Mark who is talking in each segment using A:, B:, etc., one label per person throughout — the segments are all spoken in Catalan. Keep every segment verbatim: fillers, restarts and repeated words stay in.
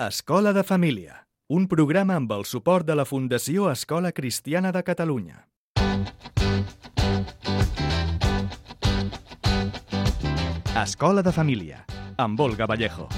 A: Escola de Família, un programa amb el suport de la Fundació Escola Cristiana de Catalunya. Escola de Família, amb Olga Vallejo.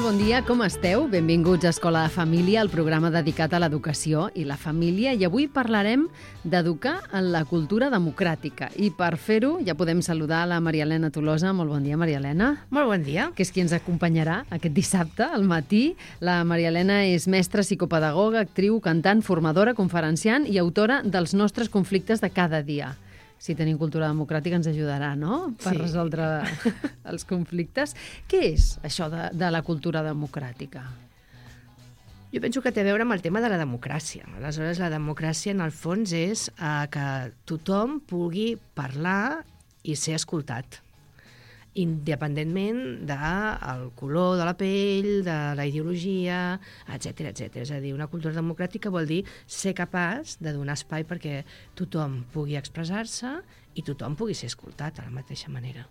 B: Bon dia, com esteu? Benvinguts a Escola de Família, el programa dedicat a l'educació i la família. I avui parlarem d'educar en la cultura democràtica. I per fer-ho ja podem saludar la Maria Elena Tolosa. Molt bon dia, Maria Elena.
C: Molt bon dia.
B: Que és qui ens acompanyarà aquest dissabte al matí. La Maria Elena és mestra, psicopedagoga, actriu, cantant, formadora, conferenciant i autora dels nostres conflictes de cada dia. Si tenim cultura democràtica ens ajudarà, no?, per sí. resoldre els conflictes. Què és això de, de la cultura democràtica?
C: Jo penso que té a veure amb el tema de la democràcia. Aleshores, la democràcia, en el fons, és eh, que tothom pugui parlar i ser escoltat, independentment del color de la pell, de la ideologia, etcètera, etcètera. És a dir, una cultura democràtica vol dir ser capaç de donar espai perquè tothom pugui expressar-se i tothom pugui ser escoltat de la mateixa manera.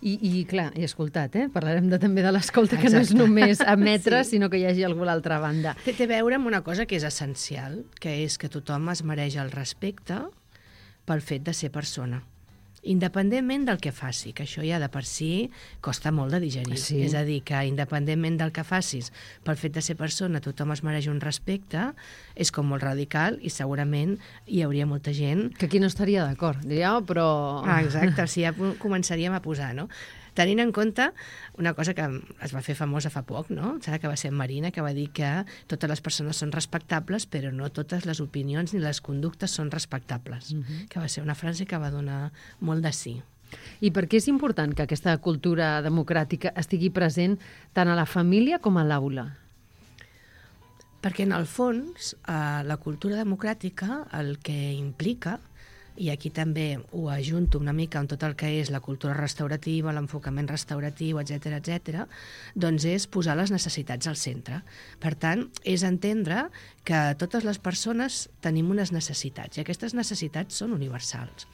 B: I, i clar, i escoltat, eh? Parlarem de, també de l'escolta, que no és només emetre, sí. sinó que hi hagi algú a l'altra banda.
C: Té, té a veure amb una cosa que és essencial, que és que tothom es mereix el respecte pel fet de ser persona, independentment del que faci, que això ja de per si costa molt de digerir. Sí. És a dir, que independentment del que facis, pel fet de ser persona, tothom es mereix un respecte, és com molt radical i segurament hi hauria molta gent...
B: Que aquí no estaria d'acord, diria, oh, però...
C: Ah, exacte, o sigui, ja començaríem a posar, no? Tenint en compte una cosa que es va fer famosa fa poc, no? Serà que va ser Marina, que va dir que totes les persones són respectables, però no totes les opinions ni les conductes són respectables. Uh-huh. Que va ser una frase que va donar molt de sí.
B: I per què és important que aquesta cultura democràtica estigui present tant a la família com a l'aula?
C: Perquè, en el fons, eh, la cultura democràtica el que implica, i aquí també ho ajunto una mica amb tot el que és la cultura restaurativa, l'enfocament restauratiu, etcètera, etcètera, doncs és posar les necessitats al centre. Per tant, és entendre que totes les persones tenim unes necessitats i aquestes necessitats són universals.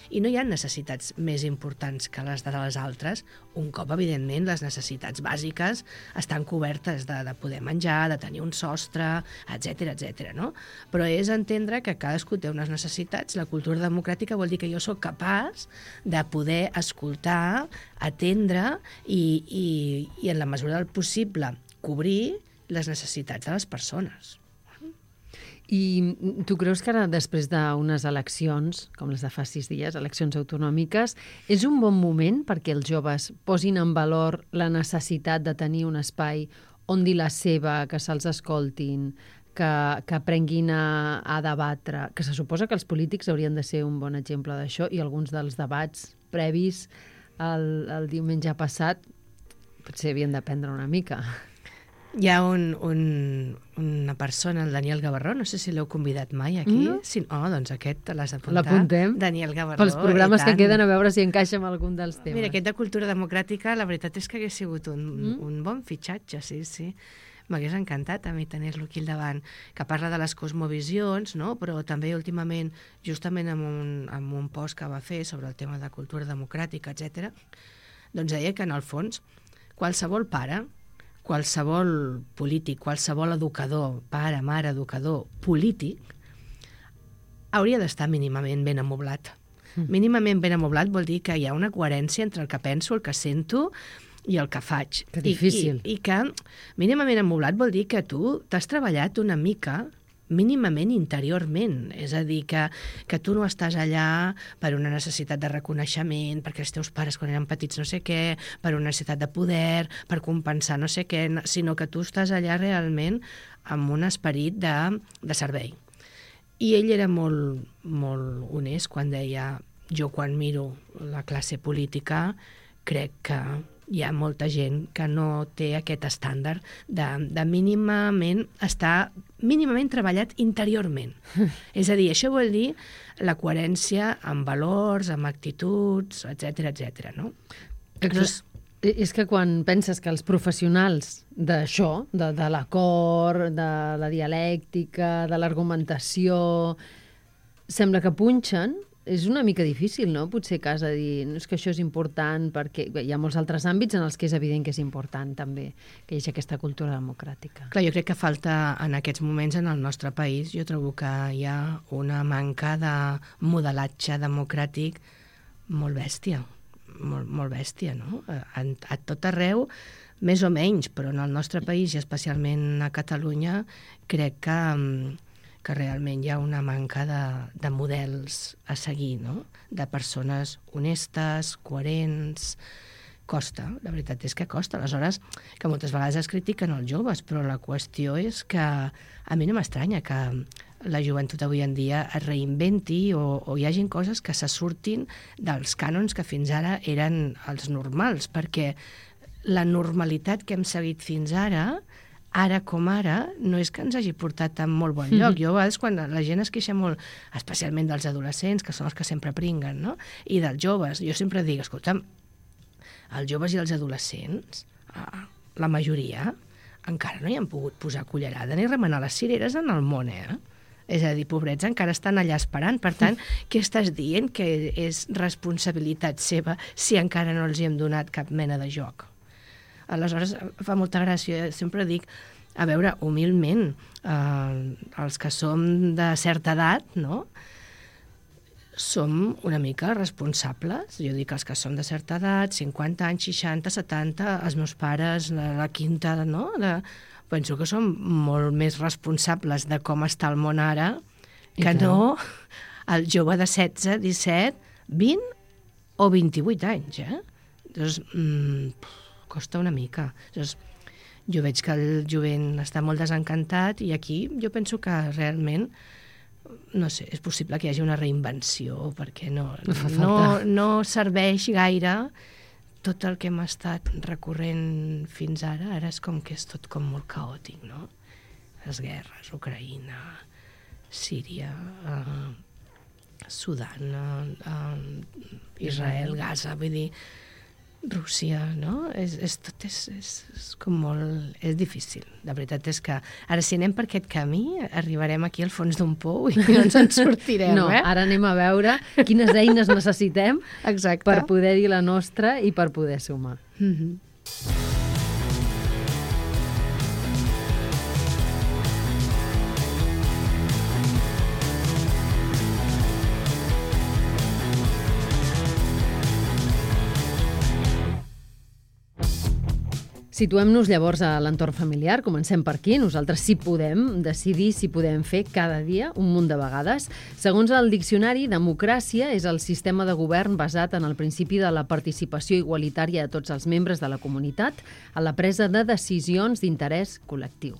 C: I no hi ha necessitats més importants que les de les altres, un cop, evidentment, les necessitats bàsiques estan cobertes de, de poder menjar, de tenir un sostre, etcètera, etcètera, no? Però és entendre que cadascú té unes necessitats. La cultura democràtica vol dir que jo sóc capaç de poder escoltar, atendre i, i, i en la mesura del possible, cobrir les necessitats de les persones.
B: I tu creus que ara, després d'unes eleccions, com les de fa sis dies, eleccions autonòmiques, és un bon moment perquè els joves posin en valor la necessitat de tenir un espai on dir la seva, que se'ls escoltin, que, que aprenguin a, a debatre, que se suposa que els polítics haurien de ser un bon exemple d'això i alguns dels debats previs el, el diumenge passat potser havien d'aprendre una mica.
C: Hi ha un, un, una persona, el Daniel Gavarró, no sé si l'heu convidat mai aquí. Mm. Si, oh, doncs aquest l'has d'apuntar.
B: L'apuntem.
C: Daniel Gavarró.
B: Pels programes que queden, a veure si encaixa amb algun dels temes.
C: Mira, aquest de cultura democràtica, la veritat és que hagués sigut un, mm. un bon fitxatge, sí, sí. M'hagués encantat a mi tenir-lo aquí al davant, que parla de les cosmovisions, no? Però també últimament, justament amb un, amb un post que va fer sobre el tema de cultura democràtica, etcètera, doncs deia que, en el fons, qualsevol pare, qualsevol polític, qualsevol educador, pare, mare, educador, polític, hauria d'estar mínimament ben amoblat. Mm. Mínimament ben amoblat vol dir que hi ha una coherència entre el que penso, el que sento i el que faig.
B: Que difícil.
C: I, i, i que mínimament amoblat vol dir que tu t'has treballat una mica mínimament interiorment, és a dir, que, que tu no estàs allà per una necessitat de reconeixement, perquè els teus pares quan eren petits no sé què, per una necessitat de poder, per compensar no sé què, sinó que tu estàs allà realment amb un esperit de, de servei. I ell era molt, molt honest quan deia: jo quan miro la classe política crec que hi ha molta gent que no té aquest estàndard de, de mínimament estar mínimament treballat interiorment. És a dir, això vol dir la coherència amb valors, amb actituds, etcètera, etcètera, no? Llavors,
B: És que quan penses que els professionals d'això, de, de l'acord, de la dialèctica, de l'argumentació, sembla que punxen, és una mica difícil, no? Potser que has de dir, no, és que això és important, perquè bé, hi ha molts altres àmbits en els que és evident que és important també que hi hagi aquesta cultura democràtica.
C: Clar, jo crec que falta en aquests moments en el nostre país, jo trobo que hi ha una manca de modelatge democràtic molt bèstia, molt, molt bèstia, no? A, a tot arreu, més o menys, però en el nostre país i especialment a Catalunya crec que que realment hi ha una manca de, de models a seguir, no? De persones honestes, coherents. Costa, la veritat és que costa. Aleshores, que moltes vegades es critiquen els joves, però la qüestió és que a mi no m'estranya que la joventut avui en dia es reinventi o, o hi hagin coses que se surtin dels cànons que fins ara eren els normals, perquè la normalitat que hem seguit fins ara, ara com ara, no és que ens hagi portat a molt bon lloc. Mm-hmm. Jo a vegades quan la gent es queixa molt, especialment dels adolescents, que són els que sempre pringuen, no? I dels joves, jo sempre dic, escolta'm, els joves i els adolescents, la majoria, encara no hi han pogut posar cullerada ni remenar les cireres en el món, eh? És a dir, pobrets, encara estan allà esperant. Per tant, què estàs dient? Que és responsabilitat seva si encara no els hi hem donat cap mena de joc? Aleshores, fa molta gràcia. Sempre dic, a veure, humilment, eh, els que som de certa edat, no?, som una mica responsables. Jo dic els que som de certa edat, cinquanta anys, seixanta, setanta, els meus pares, la, la quinta, no?, de... penso que som molt més responsables de com està el món ara que no el jove de setze, disset, vint o vint-i-vuit anys, eh? Doncs, mmm, costa una mica. Llavors, jo veig que el jovent està molt desencantat i aquí jo penso que realment, no sé, és possible que hi hagi una reinvenció perquè no, no, no serveix gaire tot el que hem estat recorrent fins ara. Ara és com que és tot com molt caòtic, no? Les guerres, Ucraïna, Síria, eh, Sudan, eh, Israel, Gaza, vull dir, Rússia, no? És, és, tot és, és, és com molt... És difícil. La veritat és que ara si anem per aquest camí arribarem aquí al fons d'un pou i no ens en sortirem,
B: no,
C: eh?
B: No, ara anem a veure quines eines necessitem
C: Exacte.
B: Per poder dir la nostra i per poder sumar.
C: Mm-hmm.
B: Situem-nos llavors a l'entorn familiar, comencem per aquí. Nosaltres sí podem decidir si podem fer cada dia un munt de vegades. Segons el diccionari, democràcia és el sistema de govern basat en el principi de la participació igualitària de tots els membres de la comunitat a la presa de decisions d'interès col·lectiu.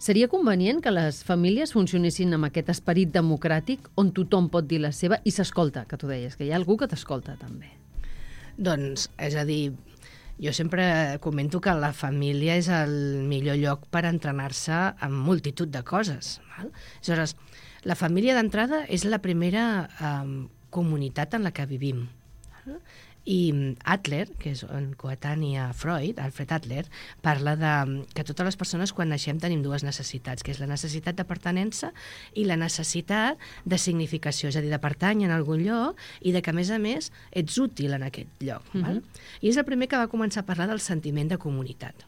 B: Seria convenient que les famílies funcionessin amb aquest esperit democràtic on tothom pot dir la seva i s'escolta, que tu deies, que hi ha algú que t'escolta també.
C: Doncs, és a dir, jo sempre comento que la família és el millor lloc per entrenar-se en multitud de coses. Val? Aleshores, la família d'entrada és la primera eh, comunitat en la que vivim. Val? I Adler, que és un coetani a Freud, Alfred Adler, parla de que totes les persones quan naixem tenim dues necessitats, que és la necessitat de pertinença i la necessitat de significació, és a dir, de pertànyer en algun lloc i de que, a més a més, ets útil en aquest lloc. Mm-hmm. Val? I és el primer que va començar a parlar del sentiment de comunitat.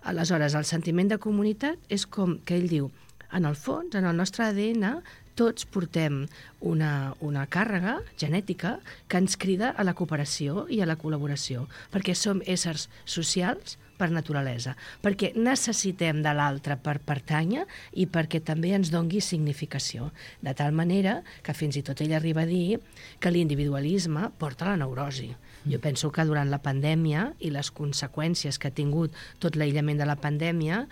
C: Aleshores, el sentiment de comunitat és com que ell diu, en el fons, en el nostre A D N, tots portem una, una càrrega genètica que ens crida a la cooperació i a la col·laboració, perquè som éssers socials per naturalesa, perquè necessitem de l'altre per pertànyer i perquè també ens dongui significació, de tal manera que fins i tot ell arriba a dir que l'individualisme porta a la neurosi. Jo penso que durant la pandèmia i les conseqüències que ha tingut tot l'aïllament de la pandèmia,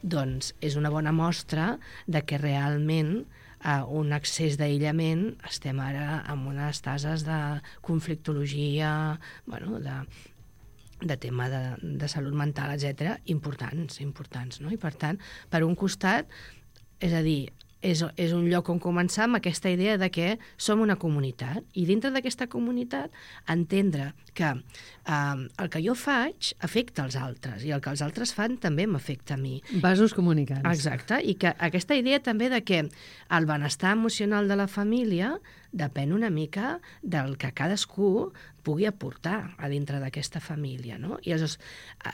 C: doncs és una bona mostra de que realment a un excés d'aïllament estem ara amb unes tases de conflictologia, bueno, de, de tema de, de salut mental, etcètera, importants, importants, no? I per tant, per un costat, és a dir, és, és un lloc on començar amb aquesta idea de que som una comunitat i dintre d'aquesta comunitat entendre que eh, el que jo faig afecta els altres i el que els altres fan també m'afecta a mi.
B: Vasos comunicants.
C: Exacte, i que aquesta idea també de que el benestar emocional de la família depèn una mica del que cadascú pugui aportar a dintre d'aquesta família, no? I aleshores,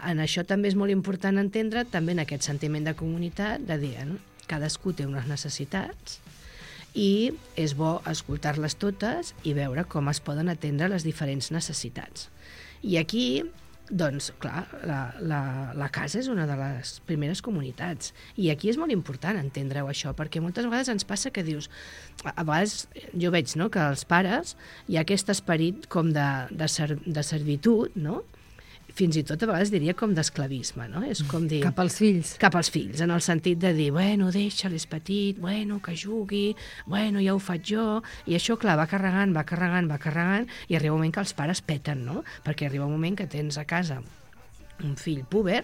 C: en això també és molt important entendre també en aquest sentiment de comunitat, de dir, no? Cadascú té unes necessitats i és bo escoltar-les totes i veure com es poden atendre les diferents necessitats. I aquí, doncs, clar, la, la, la casa és una de les primeres comunitats. I aquí és molt important entendre-ho, això, perquè moltes vegades ens passa que dius... A vegades jo veig, no?, que als pares hi ha aquest esperit com de, de, ser, de servitud, no?, fins i tot a vegades diria com d'esclavisme, no? És com dir...
B: Cap als fills.
C: Cap als fills, en el sentit de dir, bueno, deixa-lo, és petit, bueno, que jugui, bueno, ja ho faig jo, i això, clar, va carregant, va carregant, va carregant, i arriba un moment que els pares peten, no? Perquè arriba un moment que tens a casa un fill púber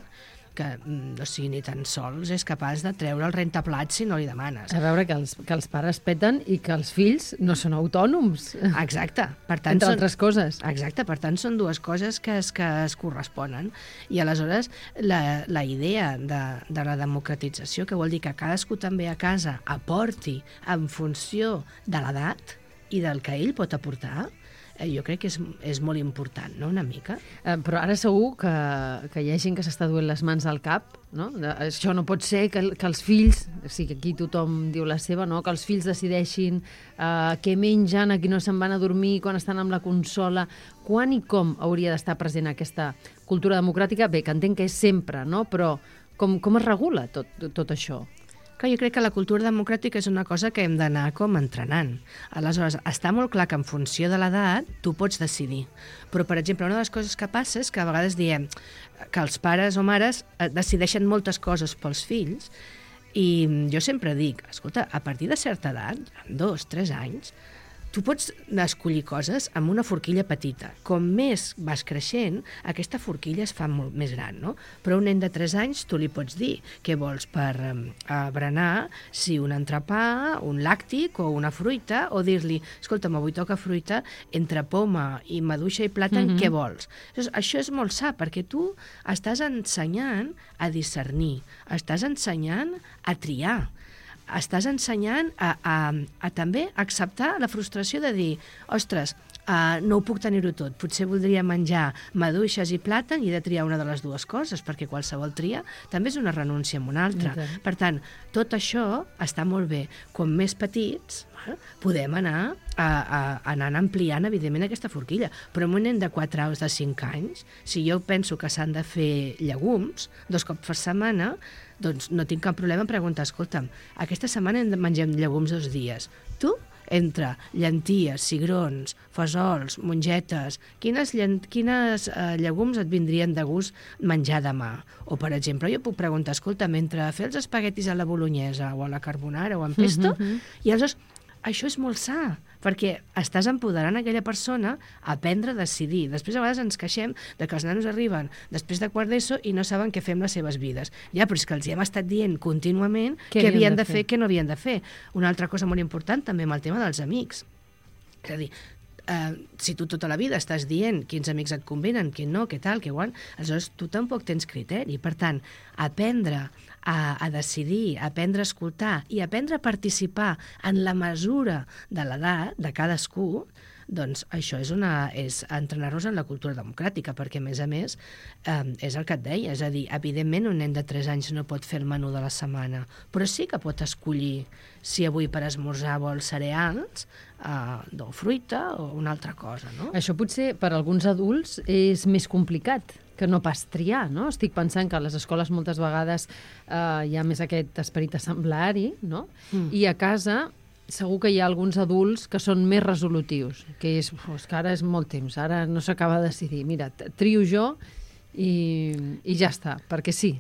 C: que, no sigui ni tan sols, és capaç de treure el rentaplats si no li demanes.
B: A veure, que els, que els pares peten i que els fills no són autònoms.
C: Exacte. Per tant,
B: entre
C: són,
B: altres coses.
C: Exacte, per tant, són dues coses que es, que es corresponen. I aleshores, la, la idea de, de la democratització, que vol dir que cadascú també a casa aporti en funció de l'edat i del que ell pot aportar, jo crec que és, és molt important, no?, una mica.
B: Eh, però ara segur que, que hi ha gent que s'està duent les mans al cap, no? De, això no pot ser que, que els fills, o sigui, aquí tothom diu la seva, no?, que els fills decideixin eh, què mengen, a qui no se'n van a dormir, quan estan amb la consola. Quan i com hauria d'estar present aquesta cultura democràtica? Bé, que entenc que és sempre, no?, però com, com es regula tot, tot això?
C: Que jo crec que la cultura democràtica és una cosa que hem d'anar com entrenant. Aleshores, està molt clar que en funció de l'edat tu pots decidir. Però, per exemple, una de les coses que passa és que a vegades diem que els pares o mares decideixen moltes coses pels fills i jo sempre dic, escolta, a partir de certa edat, dos, tres anys, tu pots escollir coses amb una forquilla petita. Com més vas creixent, aquesta forquilla es fa molt més gran, no? Però a un nen de tres anys tu li pots dir què vols per um, berenar, si un entrepà, un làctic o una fruita, o dir-li, escolta'm, avui toca fruita, entre poma i maduixa i plàtan, mm-hmm. què vols? Llavors, això és molt sa, perquè tu estàs ensenyant a discernir, estàs ensenyant a triar, estàs ensenyant a, a, a també acceptar la frustració de dir, ostres, uh, no ho puc tenir-ho tot, potser voldria menjar maduixes i plàtan i he de triar una de les dues coses, perquè qualsevol tria també és una renúncia amb una altra. Okay. Per tant, tot això està molt bé. Com més petits, eh, podem anar a, a, anant ampliant, evidentment, aquesta forquilla. Però en un nen de quatre aus de cinc anys, si jo penso que s'han de fer llegums dos cops per setmana, doncs no tinc cap problema en preguntar, escolta'm, aquesta setmana hem de mengem llegums dos dies. Tu, entre llenties, cigrons, fesols, mongetes, quines, llen... quines eh, llegums et vindrien de gust menjar demà? O, per exemple, jo puc preguntar, escolta'm, entre fer els espaguetis a la bolognesa o a la carbonara o en pesto, mm-hmm. i aleshores això és molt sa, perquè estàs empoderant aquella persona a aprendre a decidir. Després a vegades ens queixem de que els nanos arriben després de quart d'ESO i no saben què fer amb les seves vides. Ja, però és que els hi hem estat dient contínuament què havien de fer, què no havien de fer. Una altra cosa molt important també amb el tema dels amics. És a dir, eh, si tu tota la vida estàs dient quins amics et convenen, quin no, què tal, què guant, aleshores tu tampoc tens criteri. Per tant, aprendre a, a decidir, aprendre a escoltar i aprendre a participar en la mesura de l'edat de cadascú, doncs això és, una, és entrenar-nos en la cultura democràtica, perquè, a més a més, eh, és el que et deia, és a dir, evidentment un nen de tres anys no pot fer el menú de la setmana, però sí que pot escollir si avui per esmorzar vol cereals, eh, o fruita o una altra cosa, no?
B: Això potser per alguns adults és més complicat que no pas triar, no? Estic pensant que a les escoles moltes vegades eh, hi ha més aquest esperit assemblari, no? Mm. I a casa segur que hi ha alguns adults que són més resolutius, que és, és que ara és molt temps, ara no s'acaba de decidir. Mira, trio jo i, i ja està, perquè sí.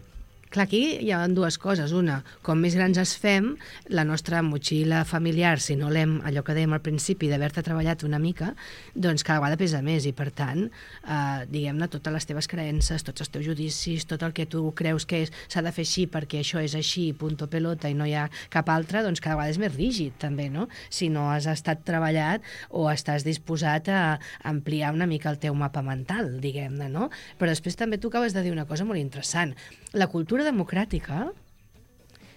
C: Clar, aquí hi ha dues coses. Una, com més grans es fem, la nostra motxilla familiar, si no l'hem, allò que dèiem al principi, d'haver-te treballat una mica, doncs cada vegada pesa més i, per tant, eh, diguem-ne, totes les teves creences, tots els teus judicis, tot el que tu creus que s'ha de fer així perquè això és així, punto pelota, i no hi ha cap altre, doncs cada vegada és més rígid, també, no? Si no has estat treballat o estàs disposat a ampliar una mica el teu mapa mental, diguem-ne, no? Però després també tu acabes de dir una cosa molt interessant. La cultura democràtica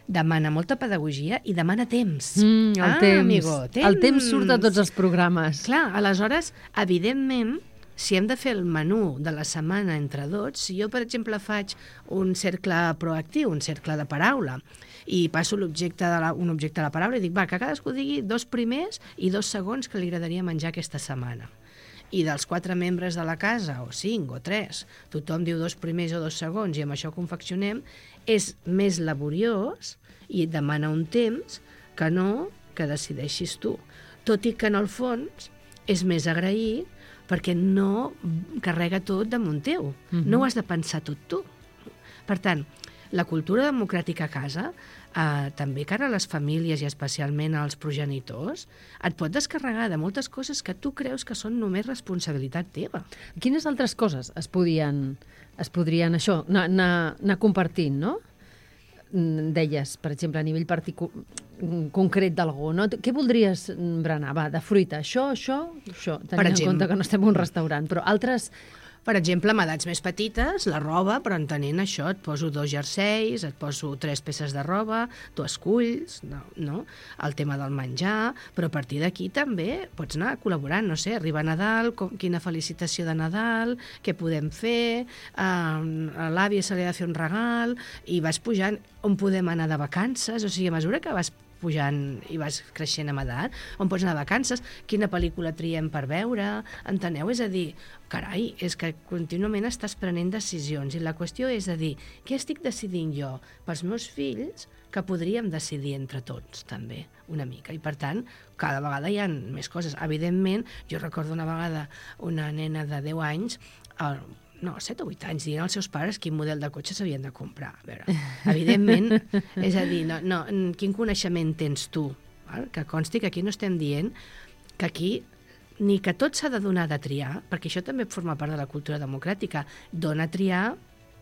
C: demana molta pedagogia i demana temps.
B: Mm, el
C: ah,
B: temps.
C: Amigo, temps.
B: El temps surt de tots els programes.
C: Clar, aleshores, evidentment, si hem de fer el menú de la setmana entre tots, si jo, per exemple, faig un cercle proactiu, un cercle de paraula, i passo l'objecte de la, un objecte de la paraula i dic, va, que cadascú digui dos primers i dos segons que li agradaria menjar aquesta setmana. I dels quatre membres de la casa, o cinc, o tres, tothom diu dos primers o dos segons i amb això confeccionem, és més laboriós i et demana un temps que no que decideixis tu. Tot i que, en el fons, és més agraït perquè no carrega tot damunt teu. Uh-huh. No ho has de pensar tot tu. Per tant, la cultura democràtica a casa, eh, també cara a les famílies i especialment als progenitors, et pot descarregar de moltes coses que tu creus que són només responsabilitat teva.
B: Quines altres coses es podien, es podrien això, anar, anar, anar compartint, no? Deies, per exemple, a nivell particu- concret d'algú, no? Què voldries berenar? Va, de fruita, això, això, això. Tenint en compte que no estem en un restaurant, però altres...
C: Per exemple, amb edats més petites, la roba, però entenent això, et poso dos jerseis, et poso tres peces de roba, tu esculls, no, no? El tema del menjar, però a partir d'aquí també pots anar col·laborant, no sé, arriba Nadal, com, quina felicitació de Nadal, què podem fer, eh, a l'àvia se li ha de fer un regal, i vas pujant on podem anar de vacances, o sigui, a mesura que vas pujant i vas creixent amb edat, on pots anar de vacances, quina pel·lícula triem per veure, enteneu? És a dir, carai, és que contínuament estàs prenent decisions i la qüestió és a dir, què estic decidint jo pels meus fills que podríem decidir entre tots, també, una mica. I, per tant, cada vegada hi ha més coses. Evidentment, jo recordo una vegada una nena de deu anys, el, no, set o vuit anys, dient als seus pares quin model de cotxe s'havien de comprar. A veure, evidentment, és a dir, no, no, quin coneixement tens tu? Val? Que consti que aquí no estem dient que aquí ni que tot s'ha de donar de triar, perquè això també forma part de la cultura democràtica, dona a triar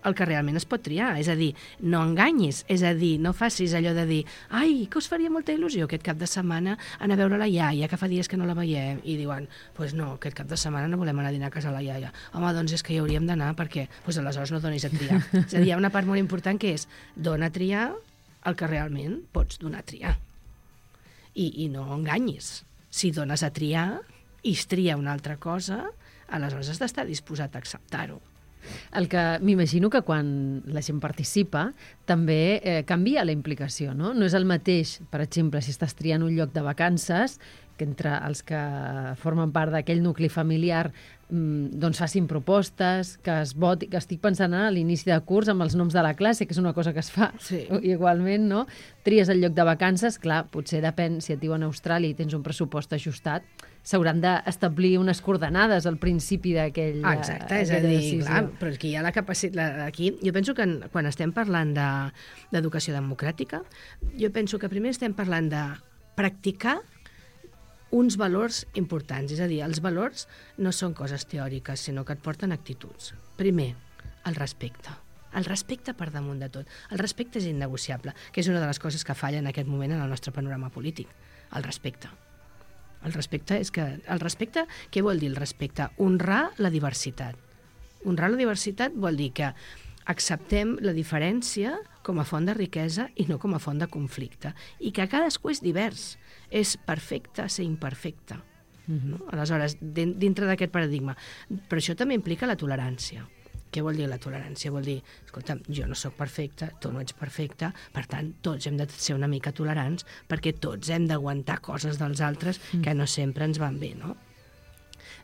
C: el que realment es pot triar, és a dir, no enganyis, és a dir, no facis allò de dir ai, que us faria molta il·lusió aquest cap de setmana anar a veure la iaia, que fa dies que no la veiem, i diuen, doncs pues no, aquest cap de setmana no volem anar a dinar a casa la iaia. Home, doncs és que hi hauríem d'anar perquè, doncs pues aleshores no donis a triar. És a dir, hi ha una part molt important que és dona a triar el que realment pots donar a triar. I, i no enganyis. Si dones a triar i es tria una altra cosa, aleshores has d'estar disposat a acceptar-ho.
B: El que m'imagino que quan la gent participa també eh, canvia la implicació, no? No és el mateix, per exemple, si estàs triant un lloc de vacances, que entre els que formen part d'aquell nucli familiar mmm, doncs facin propostes, que es voti, que estic pensant a l'inici de curs amb els noms de la classe, que és una cosa que es fa
C: sí.
B: igualment, no? Tries el lloc de vacances, clar, potser depèn, si et diuen a Austràlia i tens un pressupost ajustat, s'hauran d'establir unes coordenades al principi d'aquell
C: ah, exacte, és a dir, clar, però aquí hi ha la capacitat, aquí, jo penso que quan estem parlant d'educació de, democràtica, jo penso que primer estem parlant de practicar uns valors importants, és a dir, els valors no són coses teòriques, sinó que et porten actituds. Primer, el respecte. El respecte per damunt de tot. El respecte és innegociable, que és una de les coses que falla en aquest moment en el nostre panorama polític. El respecte. El respecte és que... El respecte, què vol dir el respecte? Honrar la diversitat. Honrar la diversitat vol dir que acceptem la diferència com a font de riquesa i no com a font de conflicte. I que cadascú és divers. És perfecte ser imperfecte. Mm-hmm. No? Aleshores, dintre d'aquest paradigma. Però això també implica la tolerància. Què vol dir la tolerància? Vol dir, escolta'm, jo no sóc perfecte, tu no ets perfecte, per tant, tots hem de ser una mica tolerants perquè tots hem d'aguantar coses dels altres que no sempre ens van bé, no?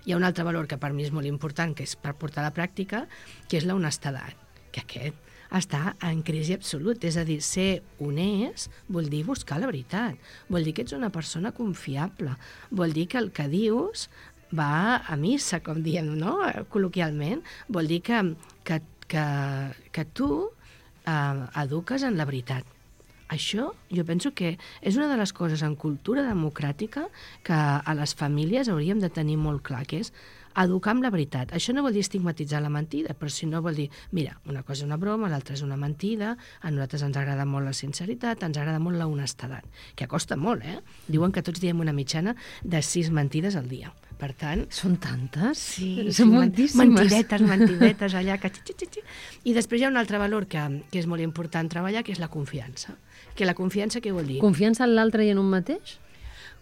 C: Hi ha un altre valor que per mi és molt important, que és per portar a la pràctica, que és l'honestedat, que aquest està en crisi absolut, és a dir, ser honest vol dir buscar la veritat, vol dir que ets una persona confiable, vol dir que el que dius va a missa, com diem, no? Col·loquialment, vol dir que, que, que, que tu eh, eduques en la veritat. Això jo penso que és una de les coses en cultura democràtica que a les famílies hauríem de tenir molt clar, que és educar amb la veritat. Això no vol dir estigmatitzar la mentida, però si no vol dir, mira, una cosa és una broma, l'altra és una mentida, a nosaltres ens agrada molt la sinceritat, ens agrada molt la honestedat, que costa molt, eh? Diuen que tots diem una mitjana de sis mentides al dia. Per tant...
B: Són tantes?
C: Sí,
B: són
C: sí,
B: moltíssimes.
C: Mentidetes, mentidetes, allà... Que... I després hi ha un altre valor que, que és molt important treballar, que és la confiança. Que la confiança què vol dir?
B: Confiança en l'altre i en un mateix?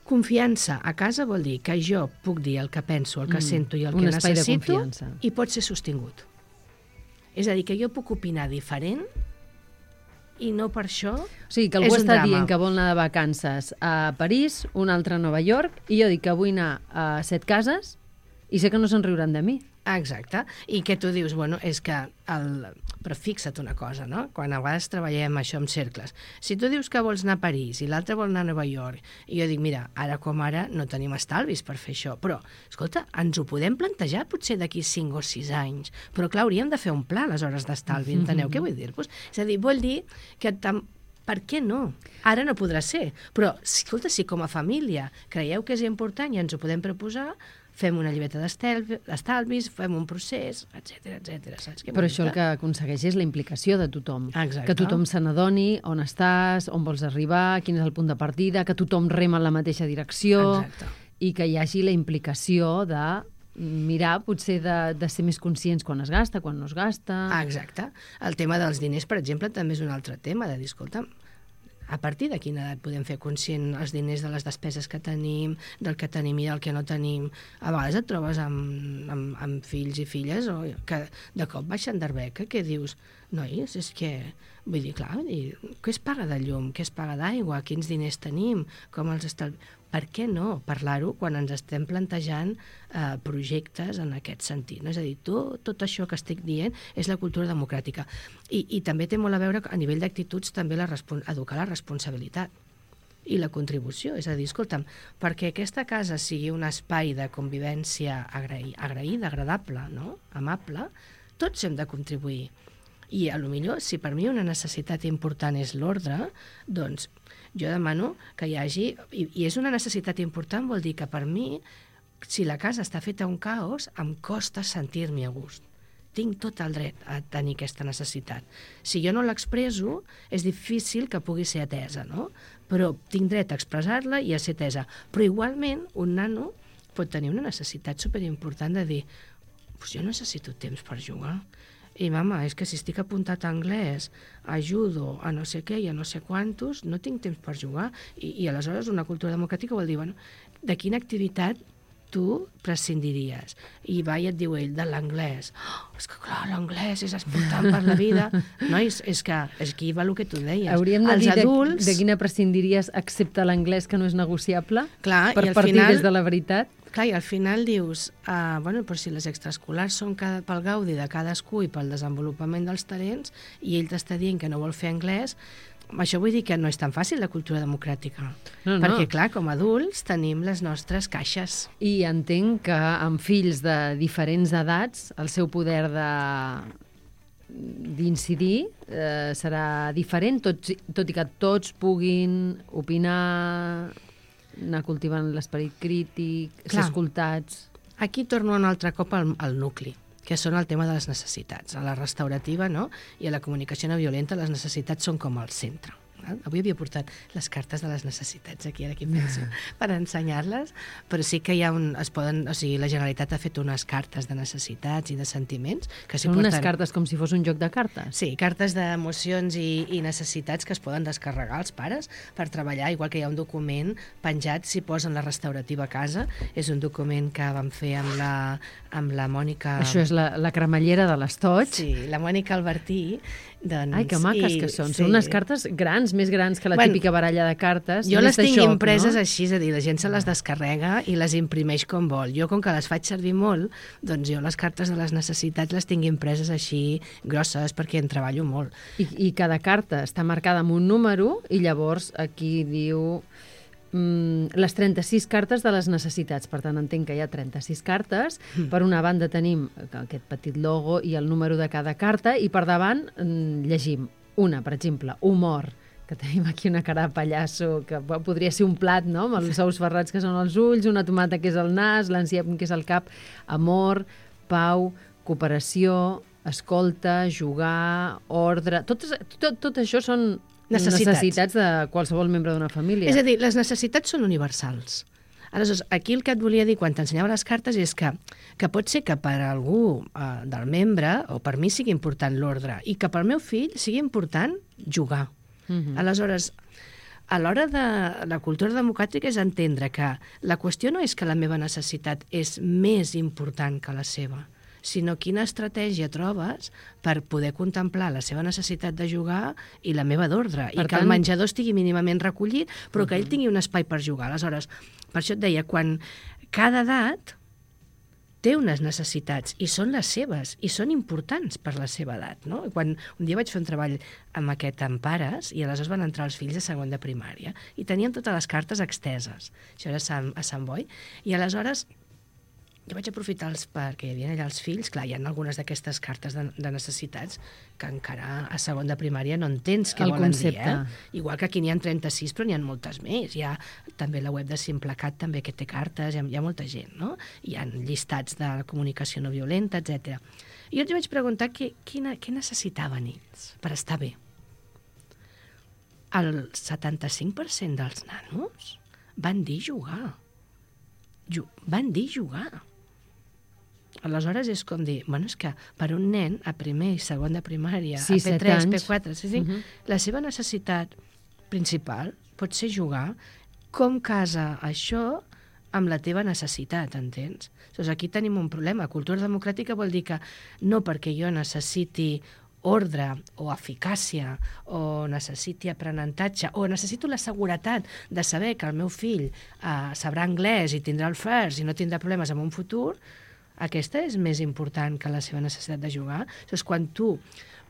C: Confiança a casa vol dir que jo puc dir el que penso, el que mm, sento i el que necessito i pot ser sostingut. És a dir, que jo puc opinar diferent i no per això és un drama.
B: O sigui, que algú està dient que vol anar de vacances a París, un altre a Nova York, i jo dic que vull anar a Setcases i sé que no se'n riuran de mi.
C: Exacte. I que tu dius, bueno, és que... El... Però fixa't una cosa, no? Quan a vegades treballem això en cercles. Si tu dius que vols anar a París i l'altre vol anar a Nova York, i jo dic, mira, ara com ara no tenim estalvis per fer això, però, escolta, ens ho podem plantejar potser d'aquí cinc o sis anys, però clar, hauríem de fer un pla a les hores d'estalvi, enteneu què vull dir-vos? És a dir, vol dir que tam... Per què no? Ara no podrà ser, però, escolta, si com a família creieu que és important i ens ho podem proposar, fem una llibreta d'estalvis, fem un procés, etcètera, etcètera. Saps què
B: Però això el que aconsegueix és la implicació de tothom.
C: Exacte.
B: Que tothom se n'adoni on estàs, on vols arribar, quin és el punt de partida, que tothom rema en la mateixa direcció.
C: Exacte.
B: I que hi hagi la implicació de mirar, potser de, de ser més conscients quan es gasta, quan no es gasta...
C: Exacte. El tema dels diners, per exemple, també és un altre tema, de dir, escolta, a partir de quina edat podem fer conscient els diners de les despeses que tenim, del que tenim i del que no tenim. A vegades et trobes amb, amb, amb fills i filles o que de cop baixen d'arbeca, que dius, nois, és que... Vull dir, clar, vull dir, què es paga de llum, què es paga d'aigua, quins diners tenim, com els estalvi... Per què no parlar-ho quan ens estem plantejant eh, projectes en aquest sentit? No? És a dir, tot, tot això que estic dient és la cultura democràtica. I, i també té molt a veure, a nivell d'actituds, també la educar la responsabilitat i la contribució. És a dir, escolta'm, perquè aquesta casa sigui un espai de convivència agraï, agraïda, agradable, no? Amable, tots hem de contribuir. I a lo millor, si per mi una necessitat important és l'ordre, doncs jo demano que hi hagi... I, I és una necessitat important, vol dir que per mi, si la casa està feta un caos, em costa sentir-m'hi a gust. Tinc tot el dret a tenir aquesta necessitat. Si jo no l'expresso, és difícil que pugui ser atesa, no? Però tinc dret a expressar-la i a ser atesa. Però igualment, un nano pot tenir una necessitat superimportant de dir, pues jo necessito temps per jugar. I, mama, és que si estic apuntat a anglès, a judo, a no sé què i a no sé quantos, no tinc temps per jugar. I, i aleshores una cultura democràtica vol dir, bueno, de quina activitat tu prescindiries? I va i et diu ell, de l'anglès. Oh, és que clar, l'anglès és important per la vida. Nois, és que és aquí va el que tu deies.
B: Hauríem de
C: Els
B: dir
C: adults...
B: de, de quina prescindiries excepte l'anglès que no és negociable?
C: Clar,
B: per
C: i al
B: partir
C: final...
B: des de la veritat?
C: Clar, i al final dius, uh, bueno, però si les extraescolars són cada, pel gaudi de cadascú i pel desenvolupament dels talents, i ell t'està dient que no vol fer anglès, això vull dir que no és tan fàcil la cultura democràtica. No, no. Perquè, clar, com a adults tenim les nostres caixes.
B: I entenc que amb fills de diferents edats el seu poder de d'incidir eh, serà diferent, tot, tot i que tots puguin opinar, anar cultivant l'esperit crític, ser escoltats.
C: Aquí torno un altre cop al, al nucli, que són el tema de les necessitats. A la restaurativa, no? I a la comunicació no violenta les necessitats són com al centre. Avui havia portat les cartes de les necessitats aquí, ara aquí penso, per ensenyar-les, però sí que hi ha un... Es poden, o sigui, la Generalitat ha fet unes cartes de necessitats i de sentiments que s'hi
B: Són
C: porten...
B: unes cartes com si fos un joc de cartes?
C: Sí, cartes d'emocions i, i necessitats que es poden descarregar als pares per treballar, igual que hi ha un document penjat, si posen la restaurativa a casa, és un document que vam fer amb la, amb la Mònica...
B: Això és la, la cremallera de l'estoig?
C: Sí, la Mònica Albertí. Doncs,
B: ai, que maques i, que són. Sí. Són unes cartes grans, més grans que la
C: bueno,
B: típica baralla de cartes.
C: Jo les tinc
B: xoc,
C: impreses
B: no?
C: així, és a dir, la gent se les descarrega i les imprimeix com vol. Jo, com que les faig servir molt, doncs jo les cartes de les necessitats les tinc impreses així grosses perquè en treballo molt.
B: I, i cada carta està marcada amb un número i llavors aquí diu... les trenta-sis cartes de les necessitats. Per tant, entenc que hi ha trenta-sis cartes. Mm. Per una banda tenim aquest petit logo i el número de cada carta i per davant llegim Una, per exemple, humor, que tenim aquí una cara de pallasso, que podria ser un plat, no?, amb els ous ferrats que són els ulls, una tomata que és el nas, l'enciam que és el cap. Amor, pau, cooperació, escolta, jugar, ordre... Tot, tot, tot això són necessitats. necessitats de qualsevol membre d'una família.
C: És a dir, les necessitats són universals. Aleshores, aquí el que et volia dir quan t'ensenyava les cartes és que, que pot ser que per algú eh, del membre, o per mi sigui important l'ordre, i que pel meu fill sigui important jugar. Uh-huh. Aleshores, a l'hora de la cultura democràtica és entendre que la qüestió no és que la meva necessitat és més important que la seva, sinó quina estratègia trobes per poder contemplar la seva necessitat de jugar i la meva d'ordre, i que tant... el menjador estigui mínimament recollit, però uh-huh. que ell tingui un espai per jugar. Aleshores, per això et deia, quan cada edat té unes necessitats i són les seves, i són importants per la seva edat, no? Quan un dia vaig fer un treball amb aquest amb pares, i aleshores van entrar els fills de segon de primària, i tenien totes les cartes exteses. Això era a Sant, a Sant Boi. I aleshores jo vaig aprofitar els, perquè hi havia allà els fills. Clar, hi ha algunes d'aquestes cartes de, de necessitats que encara a segon de primària no entens què
B: el
C: volen
B: concepte.
C: dir. Eh? Igual que aquí n'hi ha trenta-sis, però n'hi ha moltes més. Hi ha també la web de Simplecat, també, que té cartes, hi ha, hi ha molta gent, no? Hi ha llistats de comunicació no violenta, etcètera. I jo els vaig preguntar què, quina, què necessitaven ells per estar bé. El setanta-cinc per cent dels nanos van dir jugar. Ju- van dir jugar. Aleshores és com dir, bueno, és que per un nen a primer i segon de primària,
B: sí,
C: a P tres,
B: anys.
C: P quatre, sí, sí, uh-huh. la seva necessitat principal pot ser jugar. Com casa això amb la teva necessitat, entens? Doncs aquí tenim un problema. Cultura democràtica vol dir que no perquè jo necessiti ordre o eficàcia o necessiti aprenentatge o necessito la seguretat de saber que el meu fill eh, sabrà anglès i tindrà el first i no tindrà problemes en un futur, aquesta és més important que la seva necessitat de jugar. Llavors, quan tu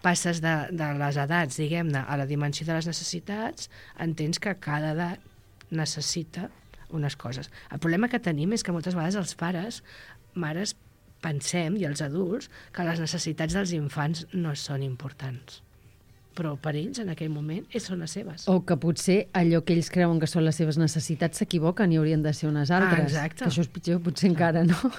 C: passes de, de les edats, diguem-ne, a la dimensió de les necessitats, entens que cada edat necessita unes coses. El problema que tenim és que moltes vegades els pares, mares, pensem, i els adults, que les necessitats dels infants no són importants. Però per ells, en aquell moment, són les seves.
B: O que potser allò que ells creuen que són les seves necessitats s'equivoquen i haurien de ser unes altres.
C: Ah, exacte.
B: Que això és pitjor, potser encara, no?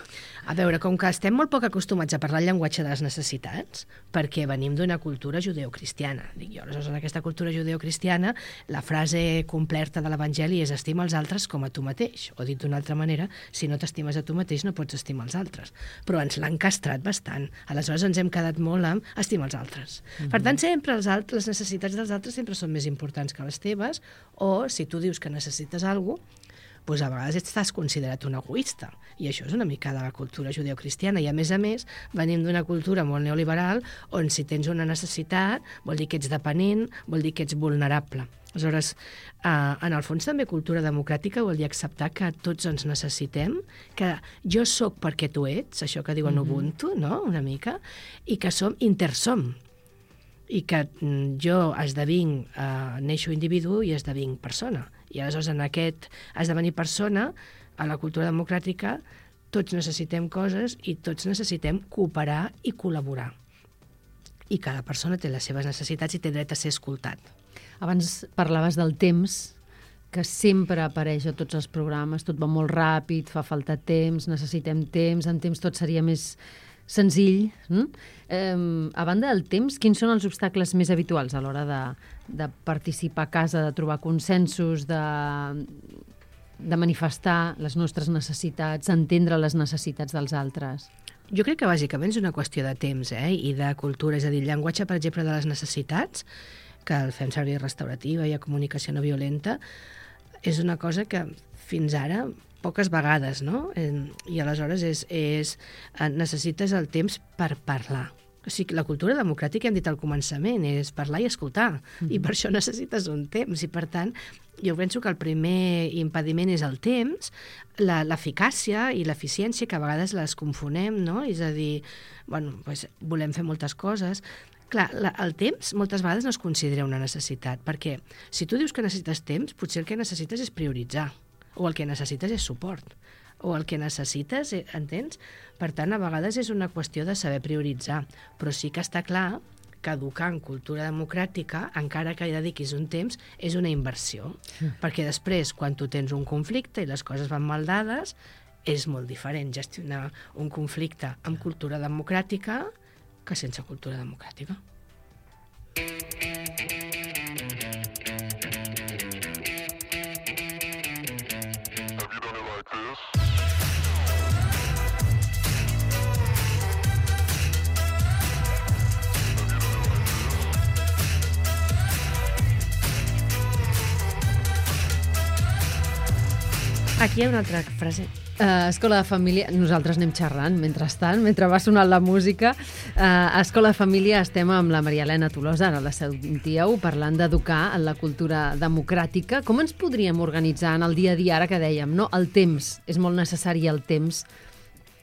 C: A veure, com que estem molt poc acostumats a parlar el llenguatge de les necessitats, perquè venim d'una cultura judeocristiana, dic jo, aleshores en aquesta cultura judeocristiana la frase completa de l'Evangeli és estima els altres com a tu mateix, o dit d'una altra manera, si no t'estimes a tu mateix no pots estimar els altres. Però ens l'han castrat bastant. Aleshores ens hem quedat molt amb estimar els altres. Mm-hmm. Per tant, sempre els altres les necessitats dels altres sempre són més importants que les teves, o si tu dius que necessites alguna cosa, doncs a vegades estàs considerat un egoista. I això és una mica de la cultura judeocristiana. I a més a més, venim d'una cultura molt neoliberal on si tens una necessitat vol dir que ets dependent, vol dir que ets vulnerable. Aleshores, eh, en el fons també cultura democràtica vol dir acceptar que tots ens necessitem, que jo sóc perquè tu ets, això que diuen mm-hmm. Ubuntu, no?, una mica, i que som intersom, i que jo esdevinc, eh, neixo individu i esdevinc persona. I aleshores en aquest esdevenir persona, a la cultura democràtica, tots necessitem coses i tots necessitem cooperar i col·laborar. I cada persona té les seves necessitats i té dret a ser escoltat.
B: Abans parlaves del temps, que sempre apareix a tots els programes, tot va molt ràpid, fa falta temps, necessitem temps, en temps tot seria més senzill. Mm? Eh, a banda del temps, quins són els obstacles més habituals a l'hora de, de participar a casa, de trobar consensos, de, de manifestar les nostres necessitats, entendre les necessitats dels altres?
C: Jo crec que bàsicament és una qüestió de temps, eh? I de cultura. És a dir, el llenguatge, per exemple, de les necessitats, que el fem servir restaurativa i a comunicació no violenta, és una cosa que fins ara poques vegades, no? I aleshores és, és, necessites el temps per parlar. O sigui, la cultura democràtica, hem dit al començament, és parlar i escoltar, mm-hmm. i per això necessites un temps, i per tant, jo penso que el primer impediment és el temps, la, l'eficàcia i l'eficiència, que a vegades les confonem, no? És a dir, bueno, pues, volem fer moltes coses. Clar, la, el temps moltes vegades no es considera una necessitat, perquè si tu dius que necessites temps, potser el que necessites és prioritzar, o el que necessites és suport, o el que necessites, entens? Per tant, a vegades és una qüestió de saber prioritzar, però sí que està clar que educar en cultura democràtica, encara que hi dediquis un temps, és una inversió. Sí. Perquè després, quan tu tens un conflicte i les coses van mal dades, és molt diferent gestionar un conflicte amb cultura democràtica que sense cultura democràtica. Aquí hi ha una altra frase.
B: Uh, Escola de Família, nosaltres anem xerrant mentrestant, mentre va sonant la música. Uh, a Escola de Família estem amb la Maria Elena Tolosa, ara la sentíeu, parlant d'educar en la cultura democràtica. Com ens podríem organitzar en el dia a dia, ara que dèiem, no? El temps, és molt necessari el temps,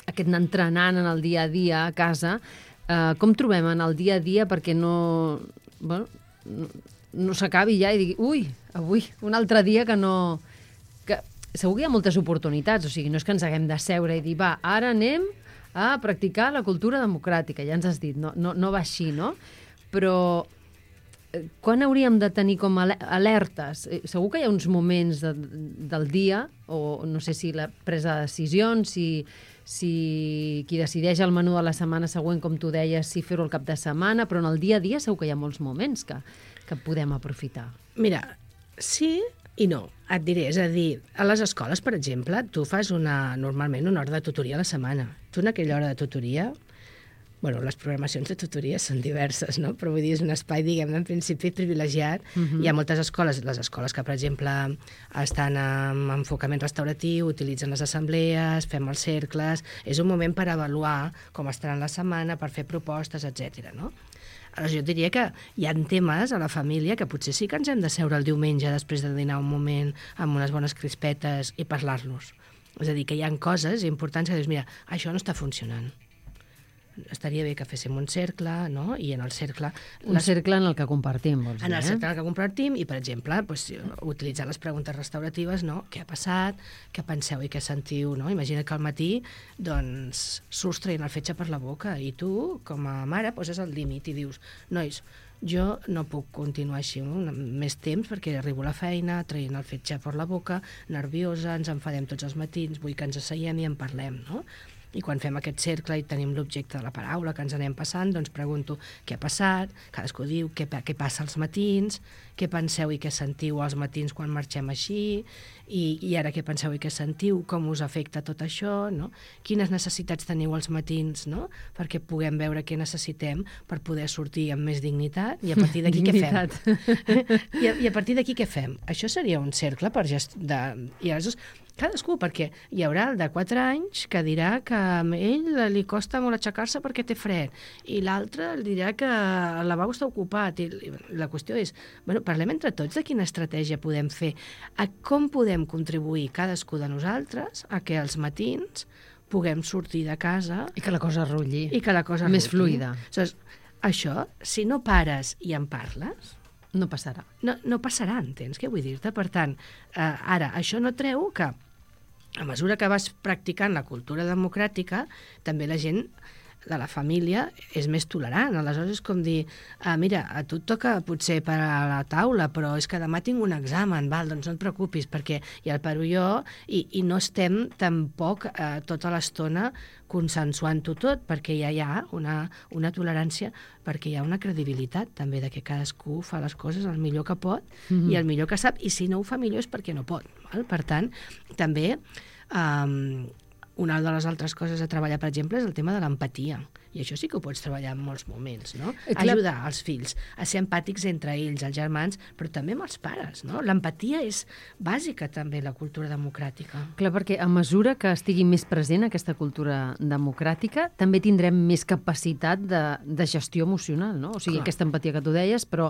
B: aquest anar entrenant en el dia a dia a casa. Uh, com trobem en el dia a dia perquè no, bueno, no, no s'acabi ja i digui, ui, avui, un altre dia que no... Que, segur que hi ha moltes oportunitats, o sigui, no és que ens haguem de seure i dir, va, ara anem a practicar la cultura democràtica, ja ens has dit, no, no, no va així, no? Però eh, quan hauríem de tenir com alertes? Eh, segur que hi ha uns moments de, del dia, o no sé si la presa de decisions, si, si qui decideix el menú de la setmana següent, com tu deies, si fer-ho al cap de setmana, però en el dia a dia segur que hi ha molts moments que, que podem aprofitar.
C: Mira, sí i no. Et diré, és a dir, a les escoles, per exemple, tu fas una, normalment una hora de tutoria a la setmana. Tu en aquella hora de tutoria, bueno, les programacions de tutoria són diverses, no? Però vull dir, és un espai, diguem, en principi privilegiat. Uh-huh. Hi ha moltes escoles, les escoles que, per exemple, estan en enfocament restauratiu, utilitzen les assemblees, fem els cercles, és un moment per avaluar com estaran la setmana, per fer propostes, etcètera, no? Aleshores, jo diria que hi ha temes a la família que potser sí que ens hem de seure el diumenge després de dinar un moment amb unes bones crispetes i parlar-los. És a dir, que hi ha coses importants que dius, mira, això no està funcionant. Estaria bé que féssim un cercle, no? I en el cercle...
B: Un les... cercle en el que compartim, vols dir,
C: En el cercle
B: eh?
C: en el que compartim i, per exemple, pues, utilitzar les preguntes restauratives, no? Què ha passat? Què penseu i què sentiu? No? Imagina que al matí doncs, surts traient el fetge per la boca i tu, com a mare, poses el límit i dius, nois, jo no puc continuar així no? més temps perquè arribo a la feina traient el fetge per la boca, nerviosa, ens enfadem tots els matins, vull que ens asseiem i en parlem, no? I quan fem aquest cercle i tenim l'objecte de la paraula que ens anem passant, doncs pregunto què ha passat, cadascú diu què, què passa als matins, què penseu i què sentiu als matins quan marxem així, i, i ara què penseu i què sentiu, com us afecta tot això, no? Quines necessitats teniu als matins, no? Perquè puguem veure què necessitem per poder sortir amb més dignitat, i a partir d'aquí què fem? I a, I a partir d'aquí què fem? Això seria un cercle per gest... de... I aleshores, cadascú, perquè hi haurà el de quatre anys que dirà que a ell li costa molt aixecar-se perquè té fred, i l'altre dirà que el lavabo està ocupat, i la qüestió és, bueno, parlem entre tots de quina estratègia podem fer, a com podem contribuir cadascú de nosaltres a que els matins puguem sortir de casa...
B: I que la cosa rulli.
C: I que la cosa
B: més
C: rulli.
B: fluida.
C: Aleshores, això, si no pares i en parles...
B: No passarà.
C: No, no passarà, entens què vull dir-te? Per tant, eh, ara, això no treu que a mesura que vas practicant la cultura democràtica, també la gent de la família és més tolerant. Aleshores és com dir, ah, mira, a tu et toca potser per a la taula, però és que demà tinc un examen, val, doncs no et preocupis, perquè ja el paro jo, i, i no estem tampoc eh, tota l'estona consensuant-ho tot, perquè ja hi ha una, una tolerància, perquè hi ha una credibilitat també de que cadascú fa les coses el millor que pot mm-hmm. i el millor que sap, i si no ho fa millor és perquè no pot. Val? Per tant, també... Um, una de les altres coses a treballar, per exemple, és el tema de l'empatia. I això sí que ho pots treballar en molts moments, no? Ajudar els fills a ser empàtics entre ells, els germans, però també amb els pares, no? L'empatia és bàsica també la cultura democràtica.
B: Clar, perquè a mesura que estigui més present aquesta cultura democràtica, també tindrem més capacitat de, de gestió emocional, no? O sigui, clar, aquesta empatia que tu deies, però